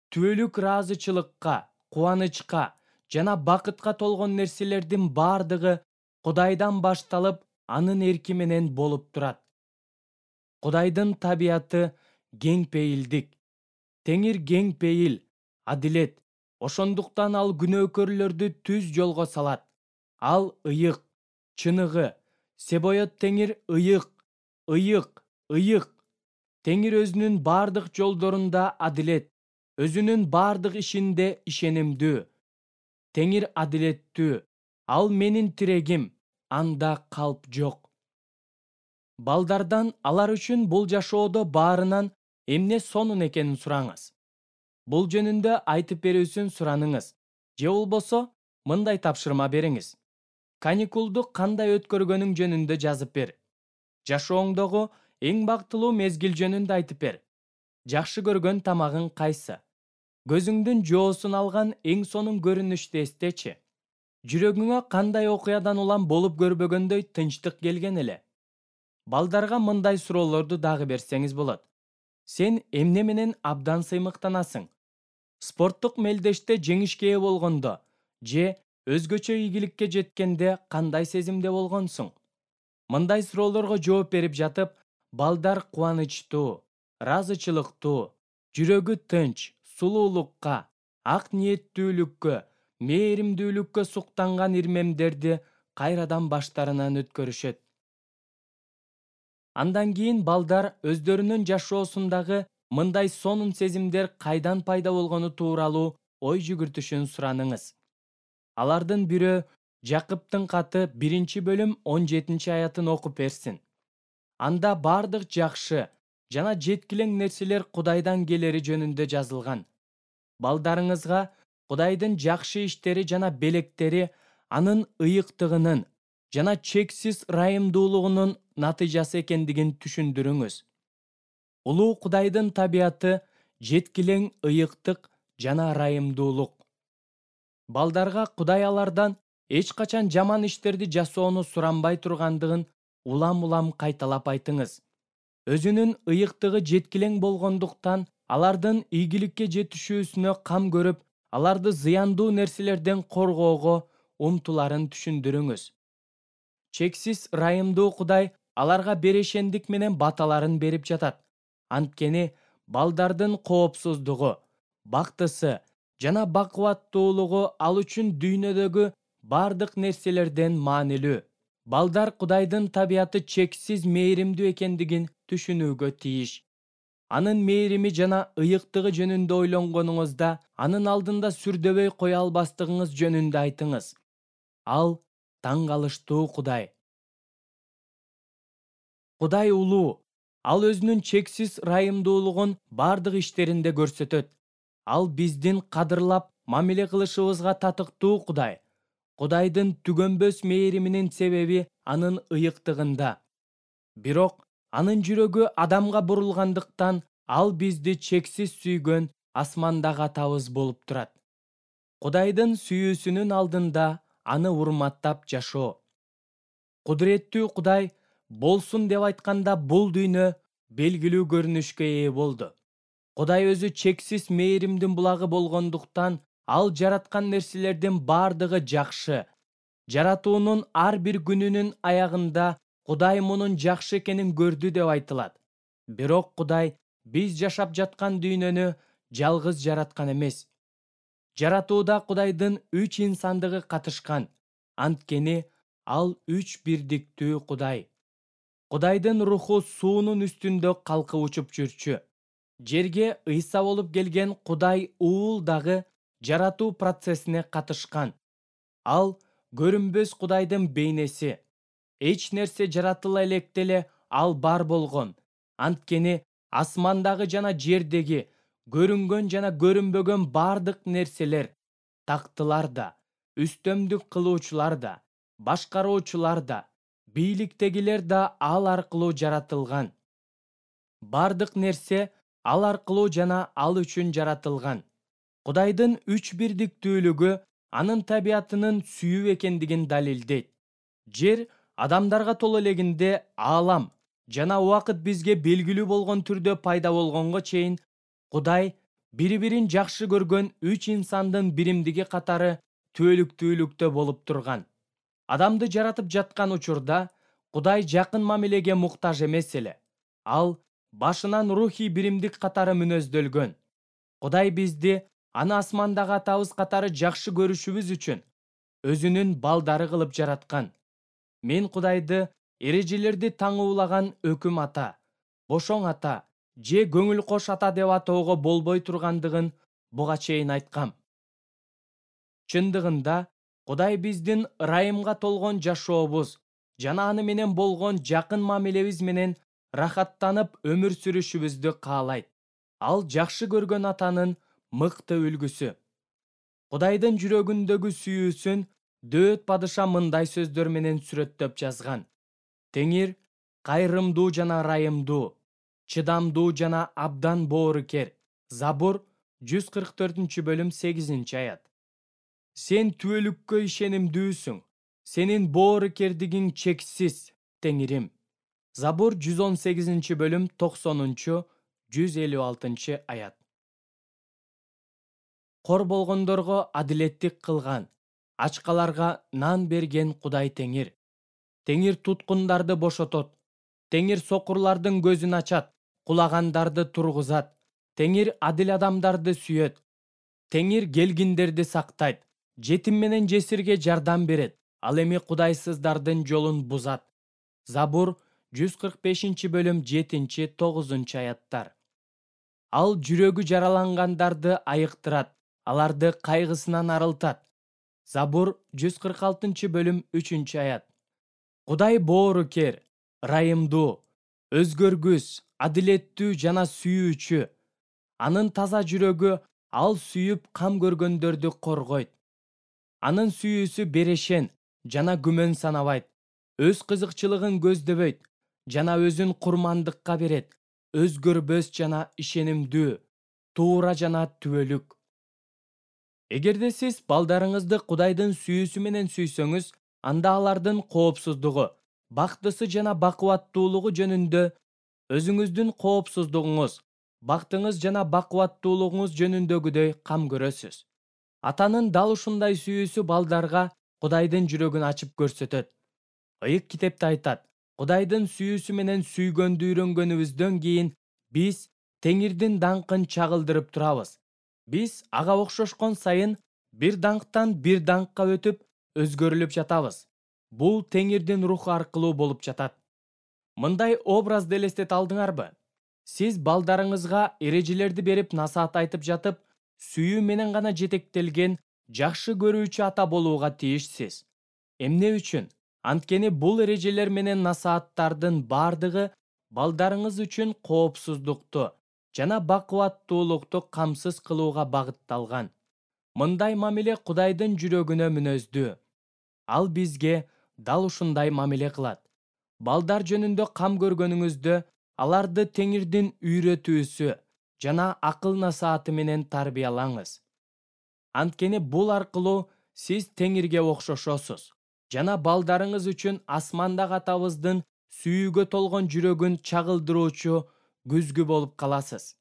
түбөлүк ыраазычылыкка, кубанычка жана бакытка толгон нерселердин бардыгы Кудайдан башталып, анын эрки менен болуп турат. Кудайдын табияты кең пейилдик. Теңир кең пейил, адилет. Ошондуктан ал күнөөкөрлөрдү түз жолго салат. Ал ыйык, чыныгы. Себоет Теңир ыйык, ыйык, ыйык. Теңир өзүнүн бардык жолдорунда адилет, өзүнүн бардык ишинде ишенимдүү. Теңир адилеттүү. Ал менин тирегим, анда калп жок. Балдардан алар үчүн бул жашоодо баарынан эмне сонун экенин сураңыз. Бул жөнүндө айтып берүүсүн сураныңыз. Же болбосо мындай тапшырма бериңиз. Каникулду кандай өткөргөнүң жөнүндө жазып бер. Жашооңдогу эң бактылуу мезгил жөнүндө айтып бер. Жакшы көргөн тамагың кайсы? Көзүңдүн жоосун алган эң сонун көрүнүштү эстечи. Жүрөгүңө кандай окуядан улам болуп көрбөгөндөй тынчтык келген эле? Балдарга мындай суроолорду дагы берсеңиз болот. Сен эмне менен абдан сыймыктанасың? Спорттук мелдеште жеңишке ээ болгондо же өзгөчө ийгиликке жеткенде кандай сезимде болгонсуң? Мындай суроолорго жооп берип жатып, балдар кубанычтуу, ыраазычылыктуу, жүрөгү тынч, сулуулукка, ак ниеттүүлүккө, мээримдүүлүккө суктанган ирмемдерди кайрадан баштарынан өткөрүшөт. Андан кийин балдар өздөрүнүн жашоосундагы мындай сонун сезимдер кайдан пайда болгону тууралуу ой жүгүртүшүн сураныңыз. Алардын бирөө Жакыптын каты биринчи бөлүм он жетинчи аятын окуп берсин. Анда бардык жакшы жана жеткилең нерселер Кудайдан келери жөнүндө жазылган. Балдарыңызга Кудайдын жакшы иштери жана белектери анын ыйыктыгынын жана чексиз ырайымдуулугунун натыйжасы экендигин түшүндүрүңүз. Улуу Кудайдын табияты жеткилең ыйыктык жана ырайымдуулук. Балдарга Кудай алардан эч качан жаман иштерди жасоону суранбай тургандыгын улам-улам кайталап айтыңыз. Өзүнүн ыйыктыгы жеткилең болгондуктан алардын ийгиликке жетишүүсүнө кам көрүп, аларды зыяндуу нерселерден коргоого умтуларын түшүндүрүңүз. Чексиз ырайымдуу Кудай аларга берешендик менен баталарын берип жатат. Анткени балдардын коопсуздугу, бактысы жана бакубаттуулугу ал үчүн дүйнөдөгү бардык нерселерден маанилүү. Балдар Кудайдын табияты чексиз мээримдүү экендигин түшүнүүгө тийиш. Анын мээрими жана ыйыктыгы жөнүндө ойлонгонуңузда, анын алдында сүрдөбөй кое албастыгыңыз жөнүндө айтыңыз. Ал таң калыштуу Кудай. Кудай улуу. Ал өзүнүн чексиз ырайымдуулугун бардык иштеринде көрсөтөт. Ал биздин кадырлап мамиле кылышыбызга татыктуу Кудай. Кудайдын түгөнбөс мээриминин себеби анын ыйыктыгында. Бирок анын жүрөгү адамга бурулгандыктан ал бизди чексиз сүйгөн асмандагы атабыз болуп турат. Кудайдын сүйүүсүнүн алдында аны урматтап жашоо. Кудуреттүү Кудай болсун деп айтканда бул дүйнө белгилүү көрүнүшкө ээ болду. Кудай өзү чексиз мээримдин булагы болгондуктан ал жараткан нерселердин бардыгы жакшы. Жаратуунун ар бир күнүнүн аягында Кудай мунун жакшы экенин көрдү деп айтылат. Бирок Кудай биз жашап жаткан дүйнөнү жалгыз жараткан эмес. Жаратууда Кудайдын үч инсандыгы катышкан. Анткени ал үч бирдиктүү Кудай. Кудайдын руху суунун үстүндө калкып учуп жүрчү. Жерге ыйса болуп келген Кудай уул дагы жаратуу процессине катышкан. Ал көрүнбөс Кудайдын бейнеси. Эч нерсе жаратыла электе эле ал бар болгон. Анткени асмандагы жана жердеги көрүнгөн жана көрүнбөгөн бардык нерселер, тактылар да, үстөмдүк кылуучулар да, башкаруучулар да, бийликтегилер да ал аркылуу жаратылган. Бардык нерсе ал аркылуу жана ал үчүн жаратылган. Кудайдын үч бирдиктүүлүгү анын табиятынын сүйүү экендигин далилдейт. Жер адамдарга толо элегинде аалам жана убакыт бизге белгилүү болгон түрдө пайда болгонго чейин Кудай бири-бирин жакшы көргөн үч инсандын биримдиги катары түбөлүктүүлүктө болуп турган. Адамды жаратып жаткан учурда Кудай жакын мамилеге муктаж эмес эле. Ал башынан рухий биримдик катары мүнөздөлгөн. Кудай бизди аны асмандагы атабыз катары жакшы көрүшүбүз үчүн өзүнүн балдары кылып жараткан. Мен Кудайды эрежелерди таңуулаган өкүм ата, бошоң ата же көңүл кош ата деп атоого болбой тургандыгын буга чейин айткам. Чындыгында Кудай биздин ырайымга толгон жашообуз жана аны менен болгон жакын мамилебиз менен рахаттанып өмүр сүрүшүбүздү каалайт. Ал жакшы көргөн атанын мыкты үлгүсү. Кудайдын жүрөгүндөгү сүйүүсүн Дөөт падыша мындай сөздөр менен сүрөттөп жазган. Теңир кайрымдуу жана ырайымдуу, чыдамдуу жана абдан боорукер. Забур жүз кырк төртүнчү бөлүм сегизинчи аят. Сен түбөлүккө ишенимдүүсүң. Сенин боорукердигиң чексиз, Теңирим. Забур жүз он сегизинчи бөлүм токсонунчу жүз элүү алтынчы аят. Кор болгондорго адилеттик кылган, ачкаларга нан берген Кудай Теңир. Теңир туткундарды бошотот. Теңир сокурлардын көзүн ачат, кулагандарды тургузат. Теңир адил адамдарды сүйөт. Теңир келгиндерди сактайт. жетим менен жесирге жардам берет, ал эми кудайсыздардын жолун бузат. Забур жүз кырк бешинчи бөлүм жетинчи тогузунчу аяттар. Ал жүрөгү жаралангандарды айыктырат, аларды кайгысынан арылтат. Забур жүз кырк алтынчы бөлүм үчүнчү аят. Кудай боорукер, ырайымдуу, өзгөргүс, адилеттүү жана сүйүүчү. Анын таза жүрөгү ал сүйүп кам көргөндөрдү коргойт. Анын сүйүүсү берешен жана күмөн санабайт. Өз кызыкчылыгын көздөбөйт жана өзүн курмандыкка берет. Өзгөрбөс жана ишенимдүү, туура жана түбөлүк. Эгерде сиз балдарыңызды Кудайдын сүйүүсү менен сүйсөңүз, анда алардын коопсуздугу, бактысы жана бакубаттуулугу жөнүндө өзүңүздүн коопсуздугуңуз, бактыңыз жана бакубаттуулугуңуз жөнүндөгүдөй кам көрөсүз. Атанын дал ушундай сүйүүсү балдарга Кудайдын жүрөгүн ачып көрсөтөт. Ыйык китепте айтат: Кудайдын сүйүүсү менен сүйгөндү үйрөнгөнүбүздөн кийин биз Теңирдин даңкын чагылдырып турабыз. Биз ага окшошкон сайын бир даңктан бир даңкка өтүп, өзгөрүлүп жатабыз. Бул Теңирдин руху аркылуу болуп жатат. Мындай образды элестете алдыңарбы? Сиз балдарыңызга эрежелерди берип насаат айтып жатып, сүйүү менен гана жетектелген жакшы көрүүчү ата болууга тийишсиз. Эмне үчүн? Анткени бул эрежелер менен насааттардын бардыгы балдарыңыз үчүн коопсуздукту жана бакубаттуулукту камсыз кылууга багытталган. Мындай мамиле Кудайдын жүрөгүнө мүнөздүү. Ал бизге дал ушундай мамиле кылат. Балдар жөнүндө кам көргөнүңүздө аларды Теңирдин үйрөтүүсү жана акыл насааты менен тарбиялаңыз. Анткени бул аркылуу сиз Теңирге окшошосуз жана балдарыңыз үчүн асмандагы атабыздын сүйүүгө толгон жүрөгүн чагылдыруучу күзгү болуп каласыз.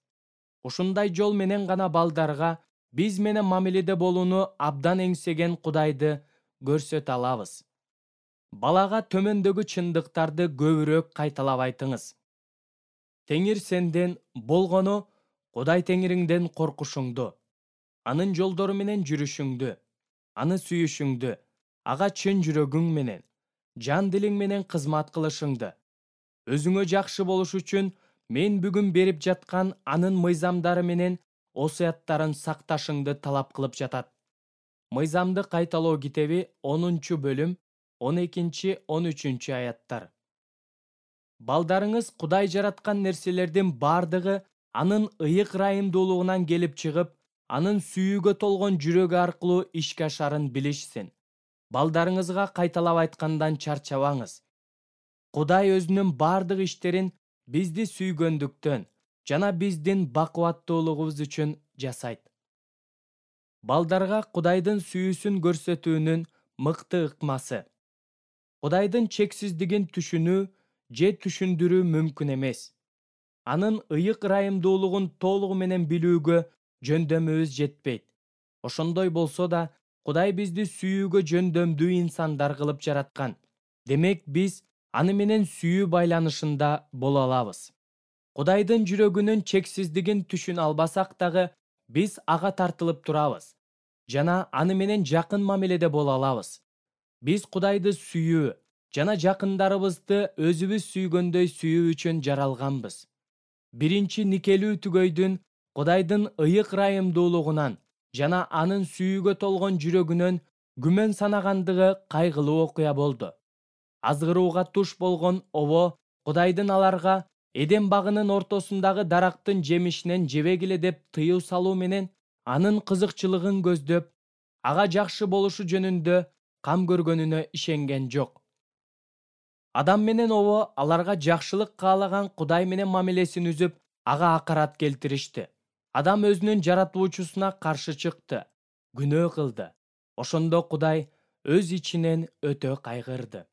Ушундай жол менен гана балдарга биз менен мамиледе болууну абдан эңсеген Кудайды көрсөтө алабыз. Балага төмөндөгү чындыктарды көбүрөөк кайталап айтыңыз. Теңир сенден болгону Кудай Теңириңден коркушуңду, анын жолдору менен жүрүшүңдү, аны сүйүшүңдү, ага чын жүрөгүң менен, жан дилиң менен кызмат кылышыңды. Өзүңө жакшы болуш үчүн мен бүгүн берип жаткан анын мыйзамдары менен осуяттарын сакташыңды талап кылып жатат. Мыйзамды кайталоо китеби онунчу бөлүм он экинчи он үчүнчү аяттар. Балдарыңыз Кудай жараткан нерселердин бардыгы анын ыйык ырайымдуулугунан келип чыгып, анын сүйүүгө толгон жүрөгү аркылуу ишке ашарын билишсин. Балдарыңызга кайталап айткандан чарчабаңыз. Кудай өзүнүн бардык иштерин бизди сүйгөндүктөн жана биздин бакубаттуулугубуз үчүн жасайт. Балдарга Кудайдын сүйүүсүн көрсөтүүнүн мыкты ыкмасы. Кудайдын чексиздигин түшүнүү же түшүндүрүү мүмкүн эмес. Анын ыйык ырайымдуулугун толугу менен билүүгө жөндөмүбүз жетпейт. Ошондой болсо да, Кудай бизди сүйүүгө жөндөмдүү инсандар кылып жараткан. Демек биз аны менен сүйүү байланышында боло алабыз. Кудайдын жүрөгүнүн чексиздигин түшүнө албасак дагы, биз ага тартылып турабыз жана аны менен жакын мамиледе боло алабыз. Биз Кудайды сүйүү жана жакындарыбызды өзүбүз сүйгөндөй сүйүү үчүн жаралганбыз. Биринчи никелүү түгөйдүн Кудайдын ыйык ырайымдуулугунан жана анын сүйүүгө толгон жүрөгүнөн күмөн санагандыгы кайгылуу окуя болду. Азгырууга туш болгон обо Кудайдын аларга Эдем багынын ортосундагы дарактын жемишинен жебегиле деп тыюу салуу менен анын кызыкчылыгын көздөп, ага жакшы болушу жөнүндө кам көргөнүнө ишенген жок. Адам менен обо аларга жакшылык каалаган Кудай менен мамилесин үзүп, ага акарат келтиришти. Адам өзүнүн жаратуучусуна каршы чыкты, күнөө кылды. Ошондо Кудай өз ичинен өтө кайгырды.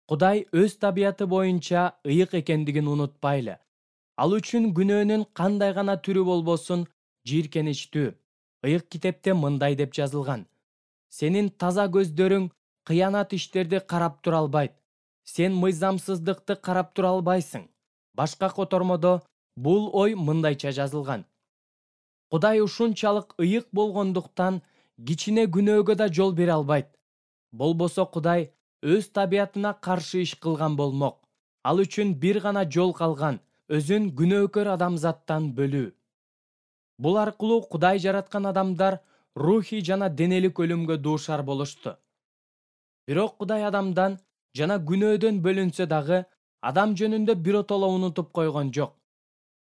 Кудай өз табияты боюнча ыйык экендигин унутпайлы. Ал үчүн күнөөнүн кандай гана түрү болбосун жийиркеничтүү. Ыйык китепте мындай деп жазылган: Сенин таза көздөрүң кыянат иштерди карап тура албайт. Сен мыйзамсыздыкты карап тура албайсың. Башка котормодо бул ой мындайча жазылган: Кудай ушунчалык ыйык болгондуктан кичине күнөөгө да жол бере албайт. Болбосо Кудай өз табиятына каршы иш кылган болмок. Ал үчүн бир гана жол калган, өзүн күнөөкөр адамзаттан бөлүү. Бул аркылуу Кудай жараткан адамдар рухий жана денелик өлүмгө дуушар болушту. Бирок Кудай адамдан жана күнөөдөн бөлүнсө дагы, адам жөнүндө биротоло унутуп койгон жок.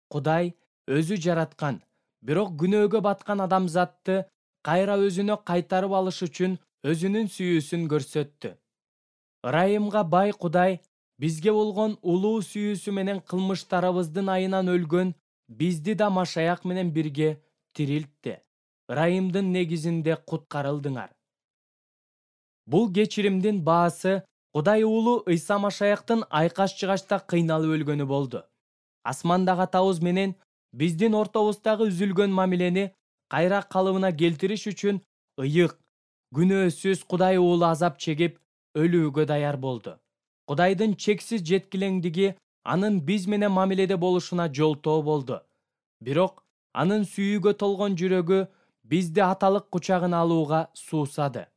Кудай өзү жараткан, бирок күнөөгө баткан адамзатты кайра өзүнө кайтарып алыш үчүн өзүнүн сүйүүсүн көрсөттү. Ырайымга бай Кудай бизге болгон улуу сүйүүсү менен кылмыштарыбыздын айынан өлгөн бизди да Машаяк менен бирге тирилтти. Ырайымдын негизинде куткарылдыңар. Бул кечиримдин баасы Кудай уулу Ыйса Машаяктын айкаш-чыгачта кыйналып өлгөнү болду. Асмандагы атабыз менен биздин ортобуздагы үзүлгөн мамилени кайра калыбына келтириш үчүн ыйык, күнөөсүз Кудай уулу азап чегип, өлүүгө даяр болду. Кудайдын чексиз жеткилеңдиги анын биз менен мамиледе болушуна жолтоо болду. Бирок анын сүйүүгө толгон жүрөгү бизди аталык кучагына алууга суусады.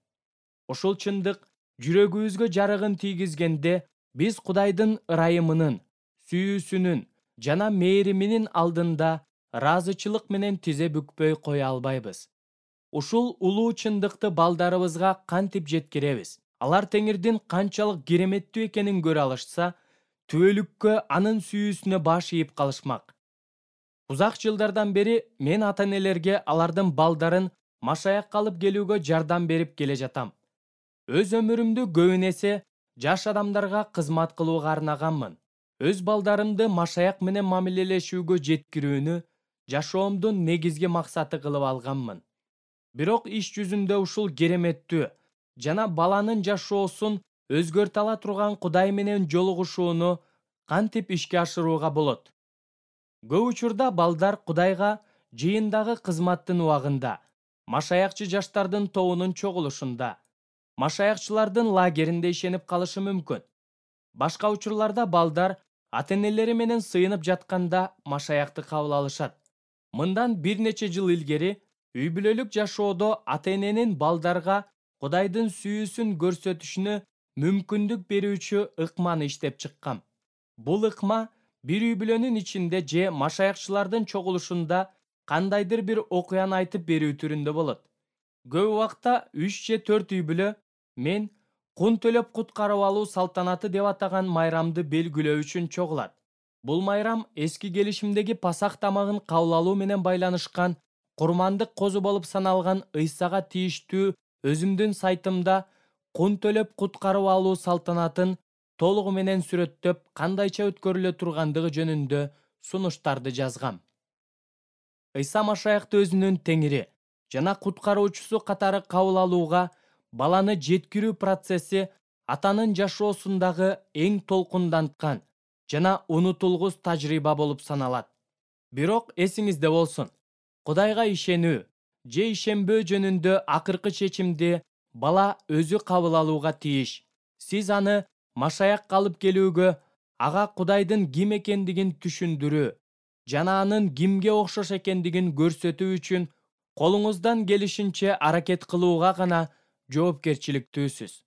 Ушул чындык жүрөгүбүзгө жарыгын тийгизгенде, биз Кудайдын ырайымынын, сүйүүсүнүн жана мээриминин алдында ыраазычылык менен тизе бүкпөй кое албайбыз. Ушул улуу чындыкты балдарыбызга кантип жеткиребиз? Алар Теңирдин канчалык кереметтүү экенин көрө алышса, түбөлүккө анын сүйүүсүнө баш ийип калышмак. Узак жылдардан бери мен ата-энелерге алардын балдарын Машаякка алып келүүгө жардам берип келе жатам. Өз өмүрүмдү көбүн эсе жаш адамдарга кызмат кылууга арнаганмын. Өз балдарымды Машаяк менен мамилелешүүгө жеткирүүнү жашоомдун негизги максаты кылып алганмын. Бирок иш жүзүндө ушул кереметтүү жана баланын жашоосун өзгөртө ала турган Кудай менен жолугушууну кантип ишке ашырууга болот? Көп учурда балдар Кудайга жыйындагы кызматтын убагында, Машаякчы жаштардын тобунун чогулушунда, Машаякчылардын лагеринде ишенип калышы мүмкүн. Башка учурларда балдар ата-энелери менен сыйынып жатканда Машаякты кабыл алышат. Мындан бир нече жыл илгери үй бүлөлүк жашоодо ата-эненин балдарга Кудайдын сүйүүсүн көрсөтүшүнө мүмкүндүк берүүчү ыкманы иштеп чыккам. Бул ыкма бир үй бүлөнүн ичинде же Машаякчылардын чогулушунда кандайдыр бир окуяны айтып берүү түрүндө болот. Көп убакта үч же төрт үй бүлө мен кун төлөп куткарып алуу салтанаты деп атаган майрамды белгилөө үчүн чогулат. Бул майрам эски келишимдеги Пасах тамагын кабыл алуу менен байланышкан курмандык козу болуп саналган Ыйсага тийиштүү өзүмдүн сайтымда кун төлөп куткарып алуу салтанатын толугу менен сүрөттөп кандайча өткөрүлө тургандыгы жөнүндө сунуштарды жазгам. Ыйса Машаякты өзүнүн Теңири жана куткаруучусу катары кабыл алууга баланы жеткирүү процесси атанын жашоосундагы эң толкунданткан жана унутулгус тажрыйба болуп саналат. Бирок эсиңизде болсун, Кудайга ишенүү же ишенбөө жөнүндө акыркы чечимди бала өзү кабыл алууга тийиш. Сиз аны Машаякка алып келүүгө, ага Кудайдын ким экендигин түшүндүрүү жана анын кимге окшош экендигин көрсөтүү үчүн колуңуздан келишинче аракет кылууга гана жоопкерчиликтүүсүз.